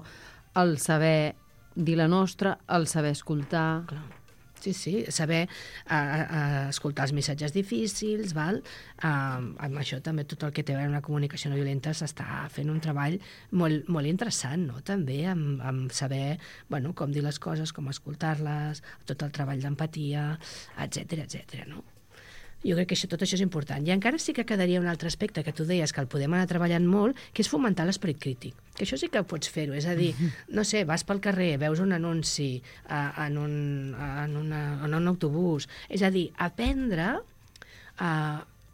B: el saber dir la nostra, el saber escoltar...
C: Clar. Sí, sí, saber uh, uh, escoltar els missatges difícils, val? Uh, amb això també tot el que té a veure amb la comunicació no violenta s'està fent un treball molt, molt interessant, no? També amb, amb saber, bueno, com dir les coses, com escoltar-les, tot el treball d'empatia, etcètera, etcètera, no? Jo crec que això, tot això és important. I encara sí que quedaria un altre aspecte que tu deies que el podem anar treballant molt, que és fomentar l'esperit crític. Que això sí que pots fer-ho. És a dir, no sé, vas pel carrer, veus un anunci a, en, un, en, una, en un autobús. És a dir, aprendre a,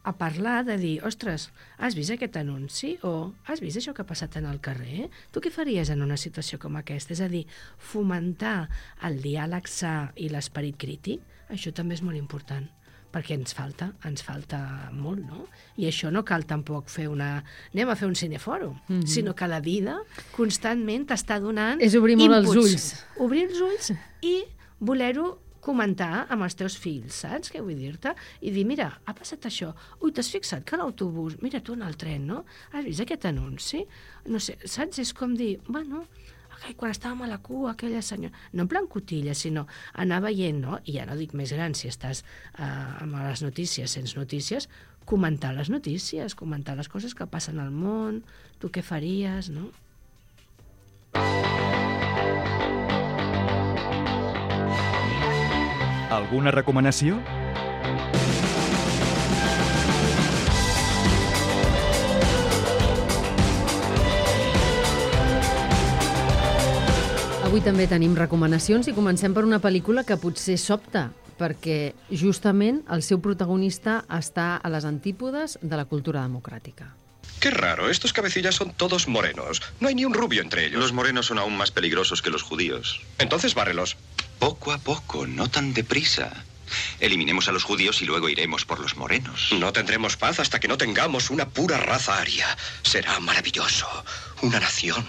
C: a parlar, de dir, ostres, has vist aquest anunci? O has vist això que ha passat en el carrer? Tu què faries en una situació com aquesta? És a dir, fomentar el diàleg sa i l'esperit crític, això també és molt important, perquè ens falta, ens falta molt, no? I això no cal tampoc fer una... anem a fer un cinefòrum, mm-hmm. sinó que la vida constantment t'està donant
B: és obrir molt
C: inputs.
B: Els ulls.
C: Obrir els ulls i voler-ho comentar amb els teus fills, saps què vull dir-te? I dir, mira, ha passat això. Ui, t'has fixat que l'autobús... Mira, tu en el tren, no? Has vist aquest anunci? No sé, saps? És com dir, bueno... quan estàvem a la cua, aquella senyora... No en plan cotilla, sinó anar veient, no? I ja no dic més gran, si estàs eh, amb les notícies, sense notícies, comentar les notícies, comentar les coses que passen al món, tu què faries, no?
A: Alguna recomanació?
B: Avui també tenim recomanacions i comencem per una pel·lícula que potser sobta, perquè justament el seu protagonista està a les antípodes de la cultura democràtica.
D: Qué raro, estos cabecillas son todos morenos. No hay ni un rubio entre ellos.
E: Los morenos son aún más peligrosos que los judíos.
D: Entonces bárrelos.
E: Poco a poco, no tan deprisa. Eliminemos a los judíos y luego iremos por los morenos.
D: No tendremos paz hasta que no tengamos una pura raza aria. Será maravilloso. Una nación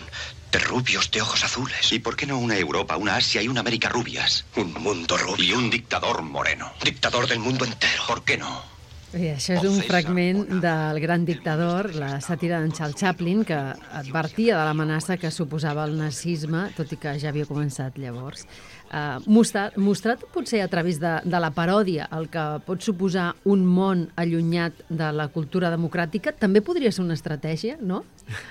D: de rubios de ojos azules.
E: ¿Y por qué no una Europa, una Asia y una América rubias?
D: Un mundo rubio.
E: Y un dictador moreno.
D: Dictador del mundo entero.
E: ¿Por qué no?
B: I això és un fragment del Gran Dictador, la sàtira d'en Charles Chaplin, que advertia de l'amenaça que suposava el nazisme, tot i que ja havia començat llavors. Uh, mostrat, mostrat potser a través de, de la paròdia el que pot suposar un món allunyat de la cultura democràtica, també podria ser una estratègia, no?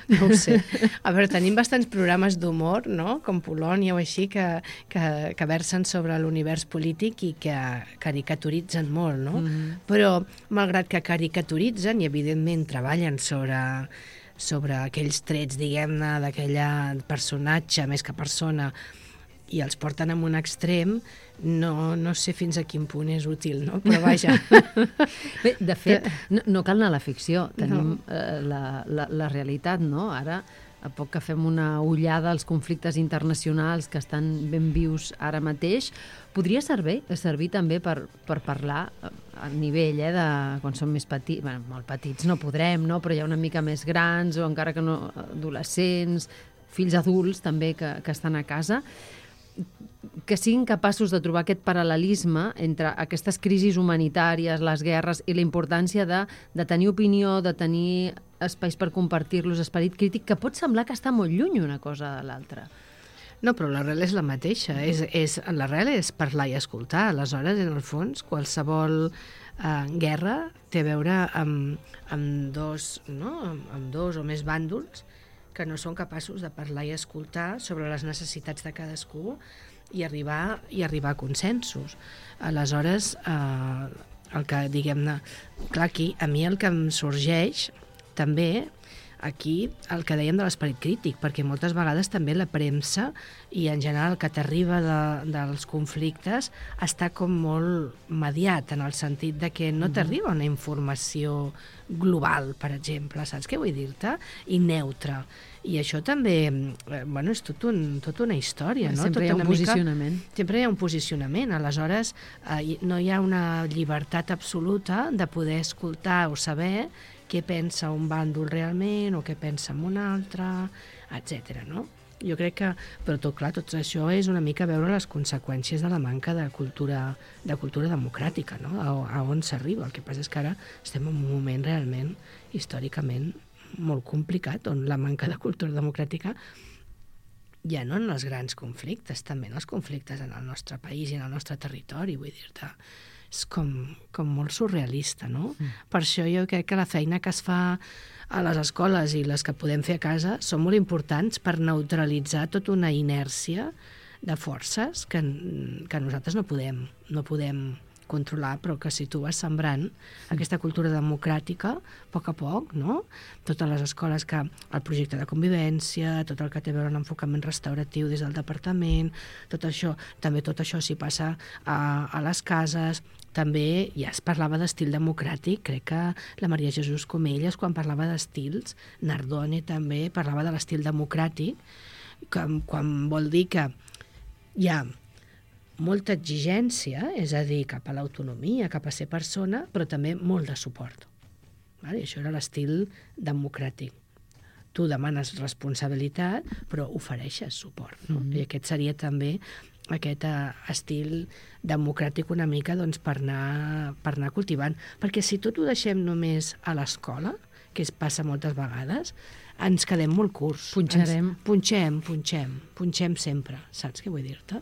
C: No ho sé. A veure, tenim bastants programes d'humor, no?, com Polònia o així, que, que, que versen sobre l'univers polític i que caricaturitzen molt, no? Mm-hmm. Però, malgrat que caricaturitzen i, evidentment, treballen sobre, sobre aquells trets, diguem-ne, d'aquella personatge més que persona, i els porten a un extrem, no, no sé fins a quin punt és útil, no? Però vaja.
B: Bé, de fet, no, no cal anar a la ficció, tenim no. eh, la, la, la realitat, no? Ara, a poc que fem una ullada als conflictes internacionals que estan ben vius ara mateix, podria servir, servir també per, per parlar a nivell eh, de quan som més petits, bueno, molt petits no podrem, no? Però ja una mica més grans o encara que no adolescents, fills adults també que, que estan a casa, que siguin capaços de trobar aquest paral·lelisme entre aquestes crisis humanitàries, les guerres i la importància de, de tenir opinió, de tenir espais per compartir-los, esperit crític, que pot semblar que està molt lluny una cosa de l'altra.
C: No, però l'arrel és la mateixa. És, és, l'arrel és parlar i escoltar. Aleshores, en el fons, qualsevol eh, guerra té a veure amb, amb, dos, no? amb, amb dos o més bàndols que no són capaços de parlar i escoltar sobre les necessitats de cadascú i arribar, i arribar a consensos. Aleshores, eh, el que, diguem-ne, clar, aquí, a mi el que em sorgeix també, aquí, el que dèiem de l'esperit crític, perquè moltes vegades també la premsa i en general el que t'arriba de, dels conflictes està com molt mediat, en el sentit de que no t'arriba una informació global, per exemple, saps què vull dir-te? I neutra. I això també, eh, bueno, és tot, un, tot una història, no?
B: Sempre
C: tot
B: hi ha un
C: mica,
B: posicionament.
C: Sempre hi ha un posicionament. Aleshores, eh, no hi ha una llibertat absoluta de poder escoltar o saber què pensa un bàndol realment o què pensa en un altre, etcètera, no? Jo crec que, però tot clar, tot això és una mica veure les conseqüències de la manca de cultura, de cultura democràtica, no? A, a on s'arriba. El que passa és que ara estem en un moment realment, històricament, molt complicat, on la manca de cultura democràtica ja no en els grans conflictes, també en els conflictes en el nostre país i en el nostre territori, vull dir-te, és com, com molt surrealista, no? Mm. Per això jo crec que la feina que es fa a les escoles i les que podem fer a casa són molt importants per neutralitzar tota una inèrcia de forces que, que nosaltres no podem, no podem controlar, però que si tu vas sembrant aquesta cultura democràtica, a poc a poc, no? Totes les escoles que el projecte de convivència, tot el que té a veure amb l'enfocament restauratiu des del departament, tot això, també tot això s'hi passa a, a les cases. També ja es parlava d'estil democràtic, crec que la Maria Jesús Comelles, quan parlava d'estils, Nardone també parlava de l'estil democràtic, que, quan vol dir que hi ha molta exigència, és a dir, cap a l'autonomia, cap a ser persona, però també molt de suport. Vale? Això era l'estil democràtic. Tu demanes responsabilitat, però ofereixes suport. No? Mm-hmm. I aquest seria també aquest uh, estil democràtic una mica doncs, per, anar, per anar cultivant. Perquè si tot ho deixem només a l'escola, que es passa moltes vegades, ens quedem molt curts.
B: Punxarem.
C: Ens punxem, punxem, punxem sempre. Saps què vull dir-te?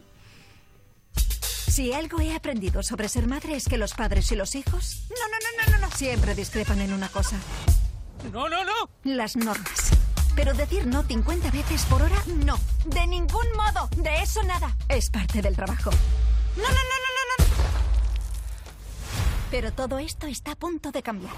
F: Si algo he aprendido sobre ser madre es que los padres y los hijos... No, no, no, no, no, no. Siempre discrepan en una cosa.
G: ¡No, no, no!
F: Las normas. Pero decir no cincuenta veces por hora, no. De ningún modo. De eso nada. Es parte del trabajo. No, no, no, no, no, no. Pero todo esto está a punto de cambiar.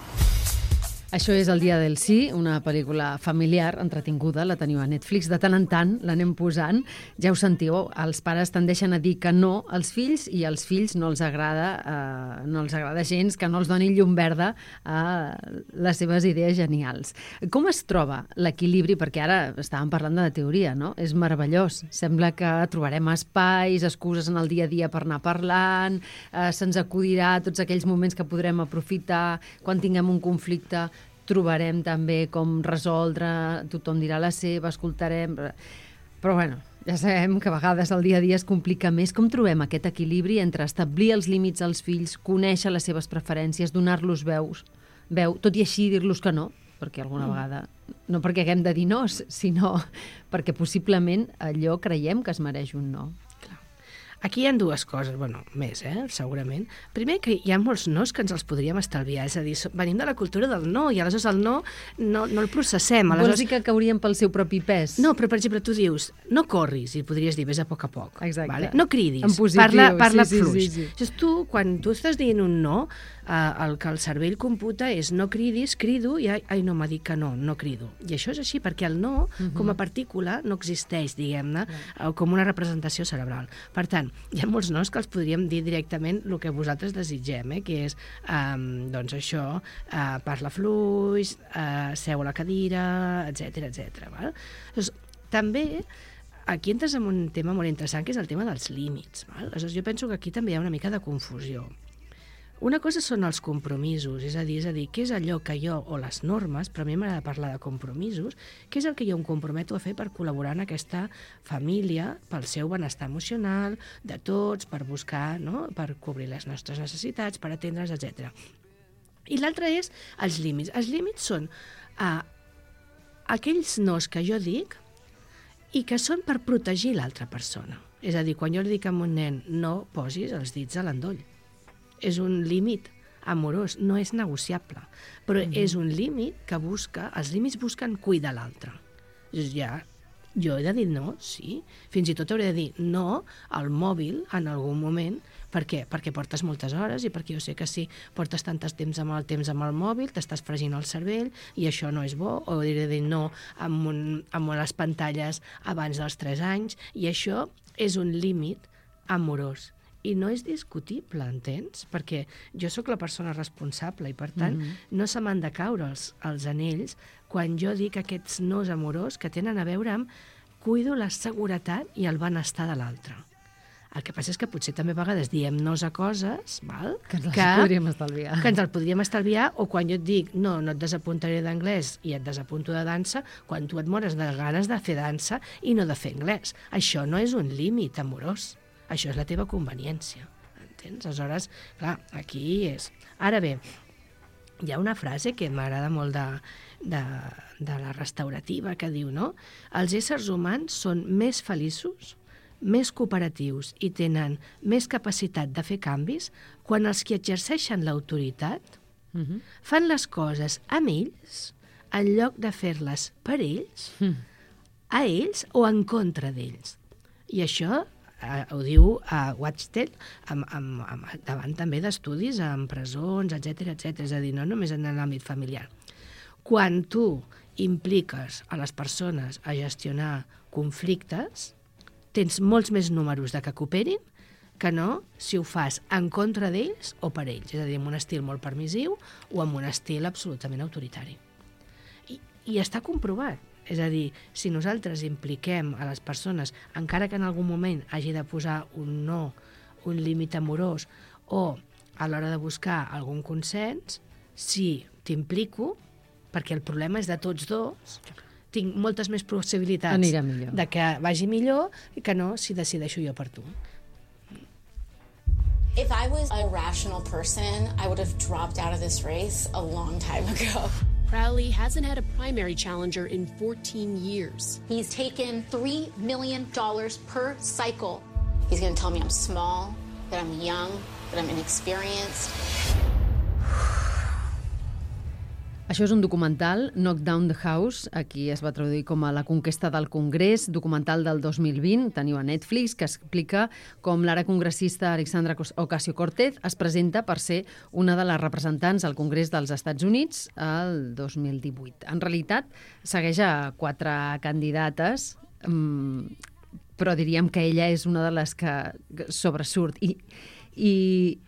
B: Això és El dia del sí, una pel·lícula familiar, entretinguda, la teniu a Netflix. De tant en tant l'anem posant. Ja ho sentiu, els pares tendeixen a dir que no als fills i als fills no els agrada, eh, no els agrada gens que no els donin llum verda a les seves idees genials. Com es troba l'equilibri? Perquè ara estàvem parlant de la teoria, no? És meravellós. Sembla que trobarem espais, excuses en el dia a dia per anar parlant, eh, se'ns acudirà tots aquells moments que podrem aprofitar quan tinguem un conflicte. Trobarem també com resoldre, tothom dirà la seva, escoltarem... Però, bueno, ja sabem que a vegades el dia a dia es complica més. Com trobem aquest equilibri entre establir els límits als fills, conèixer les seves preferències, donar-los veus, veu, tot i així dir-los que no, perquè alguna mm. vegada... No perquè haguem de dir no, sinó perquè possiblement allò creiem que es mereix un no.
C: Aquí hi ha dues coses, bueno, més, eh, segurament. Primer, que hi ha molts nos que ens els podríem estalviar, és a dir, venim de la cultura del no, i aleshores el no no, no el processem.
B: Aleshores... Vols dir que cauríem pel seu propi pes?
C: No, però, per exemple, tu dius, no corris, i podries dir, vés a poc a poc.
B: Exacte.
C: Vale? No cridis,
B: en positiu,
C: parla, parla
B: sí,
C: fluix.
B: Sí, sí, sí.
C: Llavors, tu, quan tu estàs dient un no, eh, el que el cervell computa és no cridis, crido, i ai, ai no, m'ha dit que no, no crido. I això és així, perquè el no, uh-huh. com a partícula, no existeix, diguem-ne, uh-huh. com una representació cerebral. Per tant, hi ha molts nos que els podríem dir directament el que vosaltres desitgem, eh? Que és, um, doncs això, uh, parla fluix, uh, seu a la cadira, etcètera, etcètera. Val? Doncs, també, aquí entres en un tema molt interessant, que és el tema dels límits. Val? Aleshores, jo penso que aquí també hi ha una mica de confusió. Una cosa són els compromisos, és a dir, és a dir, què és allò que jo, o les normes, però a mi m'agrada parlar de compromisos, què és el que jo em comprometo a fer per col·laborar en aquesta família, pel seu benestar emocional, de tots, per buscar, no?, per cobrir les nostres necessitats, per atendre's, etcètera. I l'altre és els límits. Els límits són uh, aquells nos que jo dic i que són per protegir l'altra persona. És a dir, quan jo li dic a un nen no posis els dits a l'endoll, és un límit amorós, no és negociable, però mm-hmm. és un límit que busca, els límits busquen cuidar l'altre. Ja, jo he de dir no, sí, fins i tot hauré de dir no al mòbil en algun moment. Per què? Perquè portes moltes hores i perquè jo sé que si portes tant temps amb el temps amb el mòbil, t'estàs fregint el cervell i això no és bo, o hauré de dir no amb, un, amb les pantalles abans dels tres anys, i això és un límit amorós. I no és discutible, entens? Perquè jo sóc la persona responsable i, per tant, mm-hmm. no se m'han de caure els, els anells quan jo dic aquests nos amorós que tenen a veure amb cuido la seguretat i el benestar de l'altre. El que passa és que potser també a vegades diem nos a coses, val?
B: Que ens les podríem estalviar.
C: Que ens el podríem estalviar, o quan jo et dic no, no et desapuntaré d'anglès i et desapunto de dansa, quan tu et mores de ganes de fer dansa i no de fer anglès. Això no és un límit amorós. Això és la teva conveniència, entens? Aleshores, clar, aquí és... Ara bé, hi ha una frase que m'agrada molt de, de, de la restaurativa que diu, no? Els éssers humans són més feliços, més cooperatius i tenen més capacitat de fer canvis quan els que exerceixen l'autoritat uh-huh. fan les coses amb ells en lloc de fer-les per ells, uh-huh. a ells o en contra d'ells. I això eh, ho diu a Watchdale, amb, amb, amb, davant també d'estudis en presons, etcètera, etcètera. És a dir, no només en l'àmbit familiar. Quan tu impliques a les persones a gestionar conflictes, tens molts més números de que cooperin que no si ho fas en contra d'ells o per ells, és a dir, amb un estil molt permissiu o amb un estil absolutament autoritari. I, i està comprovat. És a dir, si nosaltres impliquem a les persones, encara que en algun moment hagi de posar un no, un límit amorós, o a l'hora de buscar algun consens, si t'implico, perquè el problema és de tots dos, tinc moltes més possibilitats de que vagi millor que no si decideixo jo per tu.
H: If I was a rational person, I would have dropped out of this race a long time ago.
I: Crowley hasn't had a primary challenger in fourteen years.
H: He's taken three million dollars per cycle. He's going to tell me I'm small, that I'm young, that I'm inexperienced.
B: Això és un documental, Knock Down the House, aquí es va traduir com a La conquesta del Congrés, documental del dos mil vint, teniu a Netflix, que explica com l'ara congressista Alexandra Ocasio-Cortez es presenta per ser una de les representants al Congrés dels Estats Units el dos mil divuit. En realitat, segueix a quatre candidates, però diríem que ella és una de les que sobresurt. I, i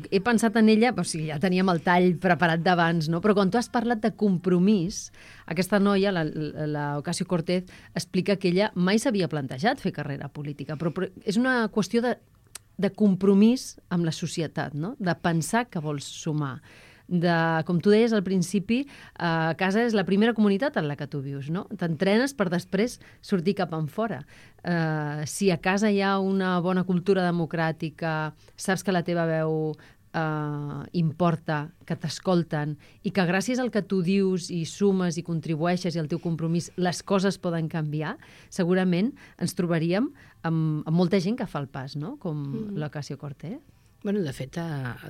B: he pensat en ella, o sigui, ja teníem el tall preparat d'abans, no? Però quan tu has parlat de compromís, aquesta noia, la, la Ocasio-Cortez, explica que ella mai s'havia plantejat fer carrera política, però, però és una qüestió de, de compromís amb la societat, no? De pensar que vols sumar. De, com tu deies al principi, a casa és la primera comunitat en la que tu vius, no? T'entrenes per després sortir cap en fora. Uh, si a casa hi ha una bona cultura democràtica, saps que la teva veu uh, importa, que t'escolten i que gràcies al que tu dius i sumes i contribueixes i al teu compromís les coses poden canviar, segurament ens trobaríem amb, amb molta gent que fa el pas, no? Com mm. l'Ocasio-Cortez.
C: Bueno, de fet,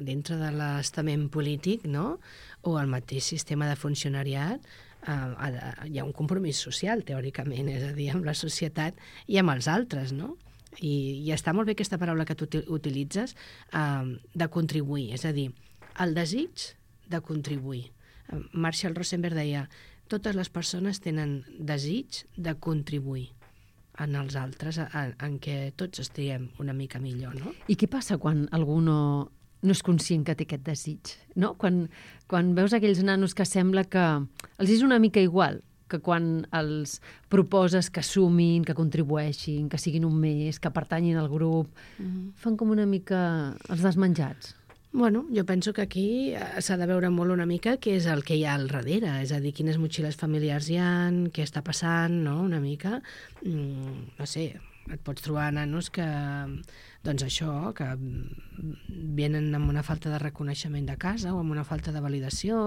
C: dintre de l'estament polític, no?, o el mateix sistema de funcionariat, eh, hi ha un compromís social, teòricament, és a dir, amb la societat i amb els altres, no? I, i està molt bé aquesta paraula que tu utilitzes, eh, de contribuir, és a dir, el desig de contribuir. Marshall Rosenberg deia, totes les persones tenen desig de contribuir en els altres, en, en què tots estiguem una mica millor, no?
B: I què passa quan algú no, no és conscient que té aquest desig, no? Quan, quan veus aquells nanos que sembla que els és una mica igual que quan els proposes que sumin, que contribueixin, que siguin un més, que pertanyin al grup, mm. fan com una mica els desmenjats.
C: Bueno, jo penso que aquí s'ha de veure molt una mica què és el que hi ha al darrere, és a dir, quines motxilles familiars hi ha, què està passant, no?, una mica. Mm, no sé, et pots trobar nanos que, doncs això, que venen amb una falta de reconeixement de casa o amb una falta de validació,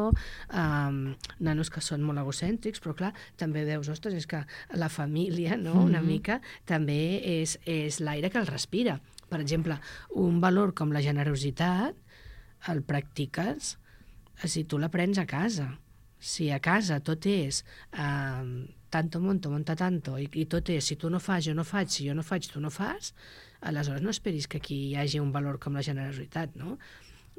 C: um, nanos que són molt egocèntrics, però clar, també veus, ostres, és que la família, no?, una mm-hmm. mica, també és, és l'aire que el respira. Per exemple, un valor com la generositat, el practiques si tu l'aprens a casa. Si a casa tot és eh, tanto monto, monta tanto, i, i tot és si tu no fas, jo no faig, si jo no faig, tu no fas, aleshores no esperis que aquí hi hagi un valor com la generositat, no?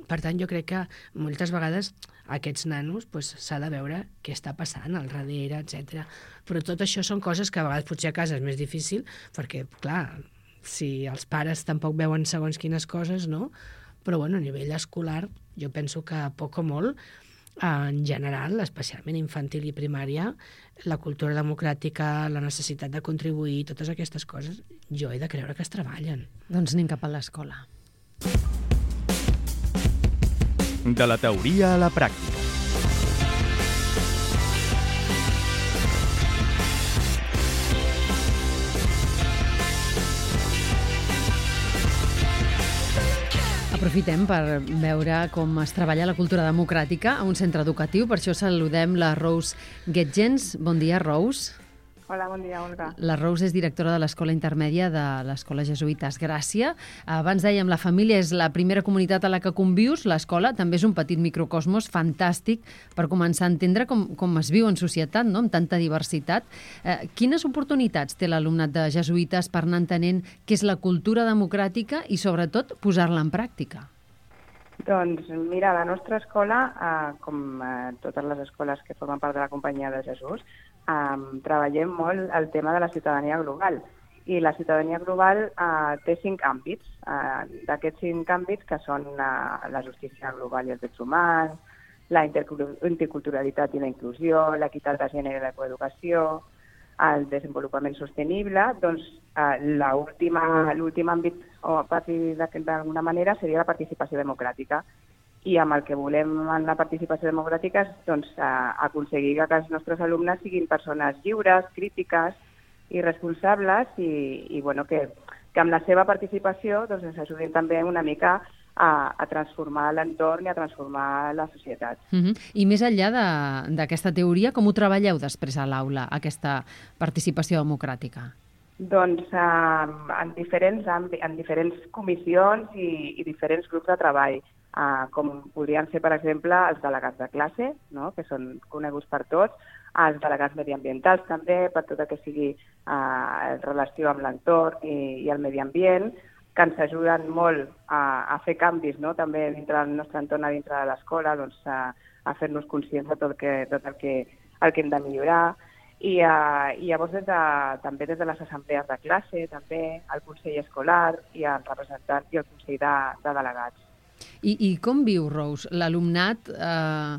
C: Per tant, jo crec que moltes vegades aquests nanos pues, s'ha de veure què està passant al darrere, etcètera. Però tot això són coses que a vegades potser a casa és més difícil, perquè, clar, si els pares tampoc veuen segons quines coses, no? Però bueno, a nivell escolar jo penso que poc o molt, en general, especialment infantil i primària, la cultura democràtica, la necessitat de contribuir, totes aquestes coses, jo he de creure que es treballen.
B: Doncs anem cap a l'escola.
A: De la teoria a la pràctica.
B: Aprofitem per veure com es treballa la cultura democràtica a un centre educatiu. Per això saludem la Rose Getgens. Bon dia, Rose.
J: Hola, bon dia, Olga.
B: La Rose és directora de l'Escola Intermèdia de l'Escola Jesuïtes Gràcia. Abans dèiem, la família és la primera comunitat a la que convius. L'escola també és un petit microcosmos fantàstic per començar a entendre com, com es viu en societat, no?, amb tanta diversitat. Eh, quines oportunitats té l'alumnat de Jesuïtes per anar entenent què és la cultura democràtica i, sobretot, posar-la en pràctica?
J: Doncs mira, la nostra escola, eh, com eh, totes les escoles que formen part de la Companyia de Jesús, eh, treballem molt el tema de la ciutadania global. I la ciutadania global eh, té cinc àmbits. Eh, D'aquests cinc àmbits, que són eh, la justícia global i els drets humans, la interculturalitat i la inclusió, l'equitat de gènere i la coeducació, el desenvolupament sostenible, doncs eh, l'últim àmbit, o a partir d'alguna manera, seria la participació democràtica. I amb el que volem en la participació democràtica és doncs, eh, aconseguir que els nostres alumnes siguin persones lliures, crítiques i responsables i, i bueno, que, que amb la seva participació doncs, ens ajudin també una mica a, a transformar l'entorn i a transformar la societat.
B: Uh-huh. I més enllà d'aquesta teoria, com ho treballeu després a l'aula, aquesta participació democràtica?
J: Doncs eh, en, diferents en diferents comissions i, i diferents grups de treball, eh, com podrien ser, per exemple, els delegats de classe, no?, que són coneguts per tots, els delegats mediambientals també, per tot el que sigui eh, en relació amb l'entorn i, i el medi ambient, que ens ajuden molt a, a fer canvis, no?, també dintre del nostre entorn, a dintre de l'escola, doncs, a, a fer-nos conscients de tot, que, tot el, que, el que hem de millorar. I, uh, i llavors des de, també des de les assemblees de classe, també el Consell Escolar i el representant i el Consell de, de Delegats.
B: I, I com viu, Rose, l'alumnat eh,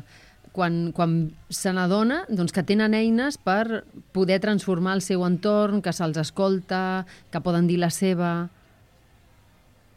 B: quan, quan se n'adona doncs, que tenen eines per poder transformar el seu entorn, que se'ls escolta, que poden dir la seva?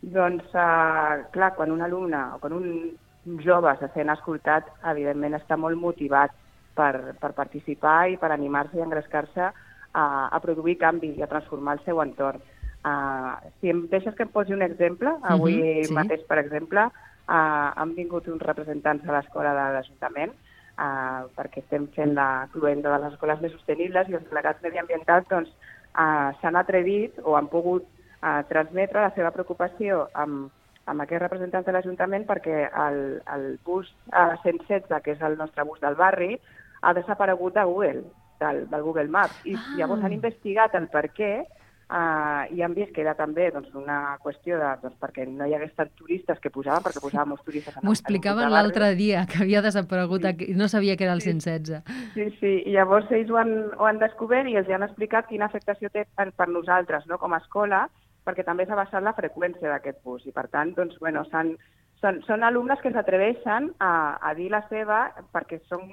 J: Doncs, uh, clar, quan un alumne o quan un jove se sent escoltat, evidentment està molt motivat per, per participar i per animar-se i engrescar-se a, a produir canvi i a transformar el seu entorn. Uh, si em deixes que em posi un exemple, avui uh-huh, sí. mateix, per exemple, uh, han vingut uns representants de l'escola de l'Ajuntament uh, perquè estem fent la cluenda de les escoles més sostenibles i els delegats mediambientals doncs, uh, s'han atrevit o han pogut uh, transmetre la seva preocupació amb amb aquests representants de l'Ajuntament perquè el, el bus uh, cent setze, que és el nostre bus del barri, ha desaparegut de Google, del, del Google Maps. I ah. llavors han investigat el per què uh, i han vist que era també doncs, una qüestió de, doncs, perquè no hi hagués tants turistes que posaven, perquè posàvem molts turistes.
B: M'ho explicaven l'altre dia, que havia desaparegut, sí. no sabia que era el cent setze.
J: Sí, sí, i llavors ells ho han, ho han descobert i els han explicat quina afectació té per, per nosaltres, no?, com a escola, perquè també s'ha baixat la freqüència d'aquest bus. I, per tant, doncs, bueno, són, són, són alumnes que s'atreveixen a, a dir la seva perquè són,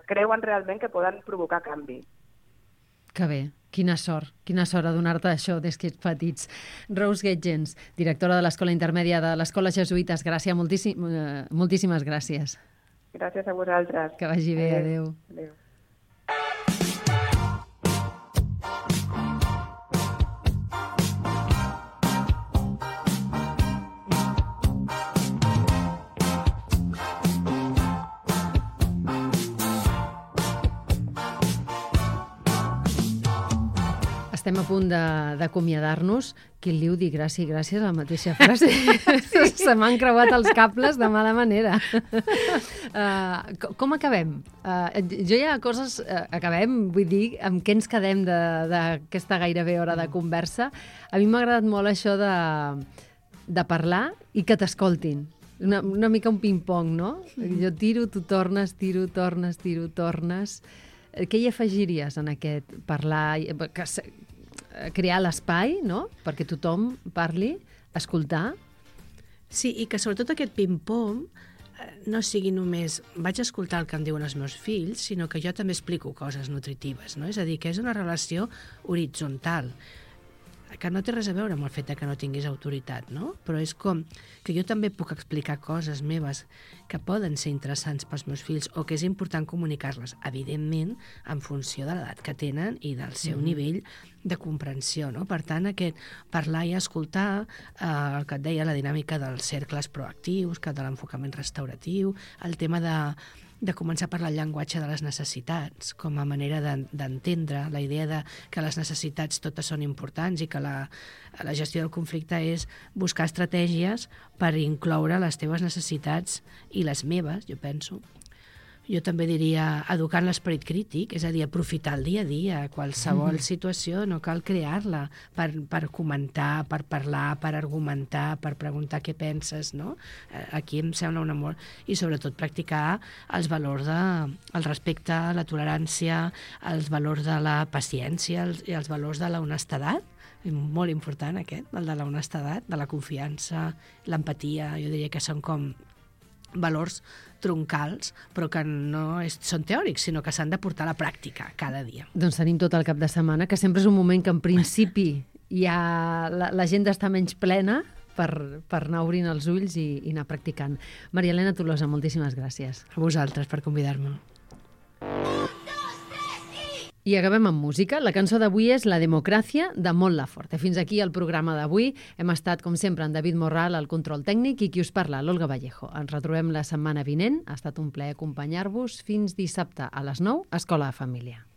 J: creuen realment que poden provocar canvi.
B: Que bé, quina sort, quina sort adonar-te d'això des que ets petits. Rose Getgens, directora de l'Escola Intermèdia de l'Escola Jesuïtes Gràcia, moltíssim, eh, moltíssimes gràcies.
J: Gràcies a vosaltres.
B: Que vagi bé, adéu.
J: Adéu.
B: Estem a punt d'acomiadar-nos. Qui li ho dir gràcies i gràcies a la mateixa frase. Sí. Se m'han creuat els cables de mala manera. Uh, com acabem? Uh, jo hi ha coses... Uh, acabem, vull dir, amb què ens quedem d'aquesta gairebé hora de conversa. A mi m'ha agradat molt això de, de parlar i que t'escoltin. Una, una mica un ping-pong, no? Jo tiro, tu tornes, tiro, tornes, tiro, tornes... Què hi afegiries en aquest parlar, crear l'espai, no?, perquè tothom parli, escoltar?
C: Sí, i que sobretot aquest ping-pong no sigui només vaig escoltar el que em diuen els meus fills, sinó que jo també explico coses nutritives, no? És a dir, que és una relació horitzontal, que no té res a veure amb el fet que no tinguis autoritat, no? Però és com que jo també puc explicar coses meves que poden ser interessants pels meus fills o que és important comunicar-les, evidentment, en funció de l'edat que tenen i del seu mm. nivell de comprensió, no? Per tant, aquest parlar i escoltar, eh, el que et deia, la dinàmica dels cercles proactius, que de l'enfocament restauratiu, el tema de de començar a parlar el llenguatge de les necessitats com a manera d'entendre la idea de que les necessitats totes són importants i que la, la gestió del conflicte és buscar estratègies per incloure les teves necessitats i les meves, jo penso. Jo també diria educar en l'esperit crític, és a dir, aprofitar el dia a dia, qualsevol mm. situació, no cal crear-la per, per comentar, per parlar, per argumentar, per preguntar què penses, no? Aquí em sembla un amor. I sobretot practicar els valors de, el respecte, la tolerància, els valors de la paciència els, i els valors de la honestedat, molt important aquest, el de la honestedat, de la confiança, l'empatia, jo diria que són com valors troncals, però que no és, són teòrics, sinó que s'han de portar a la pràctica cada dia.
B: Doncs tenim tot el cap de setmana, que sempre és un moment que en principi ja l'agenda està menys plena per, per anar obrint els ulls i, i anar practicant. Maria Elena Tolosa, moltíssimes gràcies.
C: A vosaltres per convidar-me.
B: I acabem amb música. La cançó d'avui és La democràcia, de Mon Laferte. Fins aquí el programa d'avui. Hem estat, com sempre, en David Morral, al control tècnic, i qui us parla, l'Olga Vallejo. Ens retrobem la setmana vinent. Ha estat un plaer acompanyar-vos fins dissabte a les nou, Escola de Família.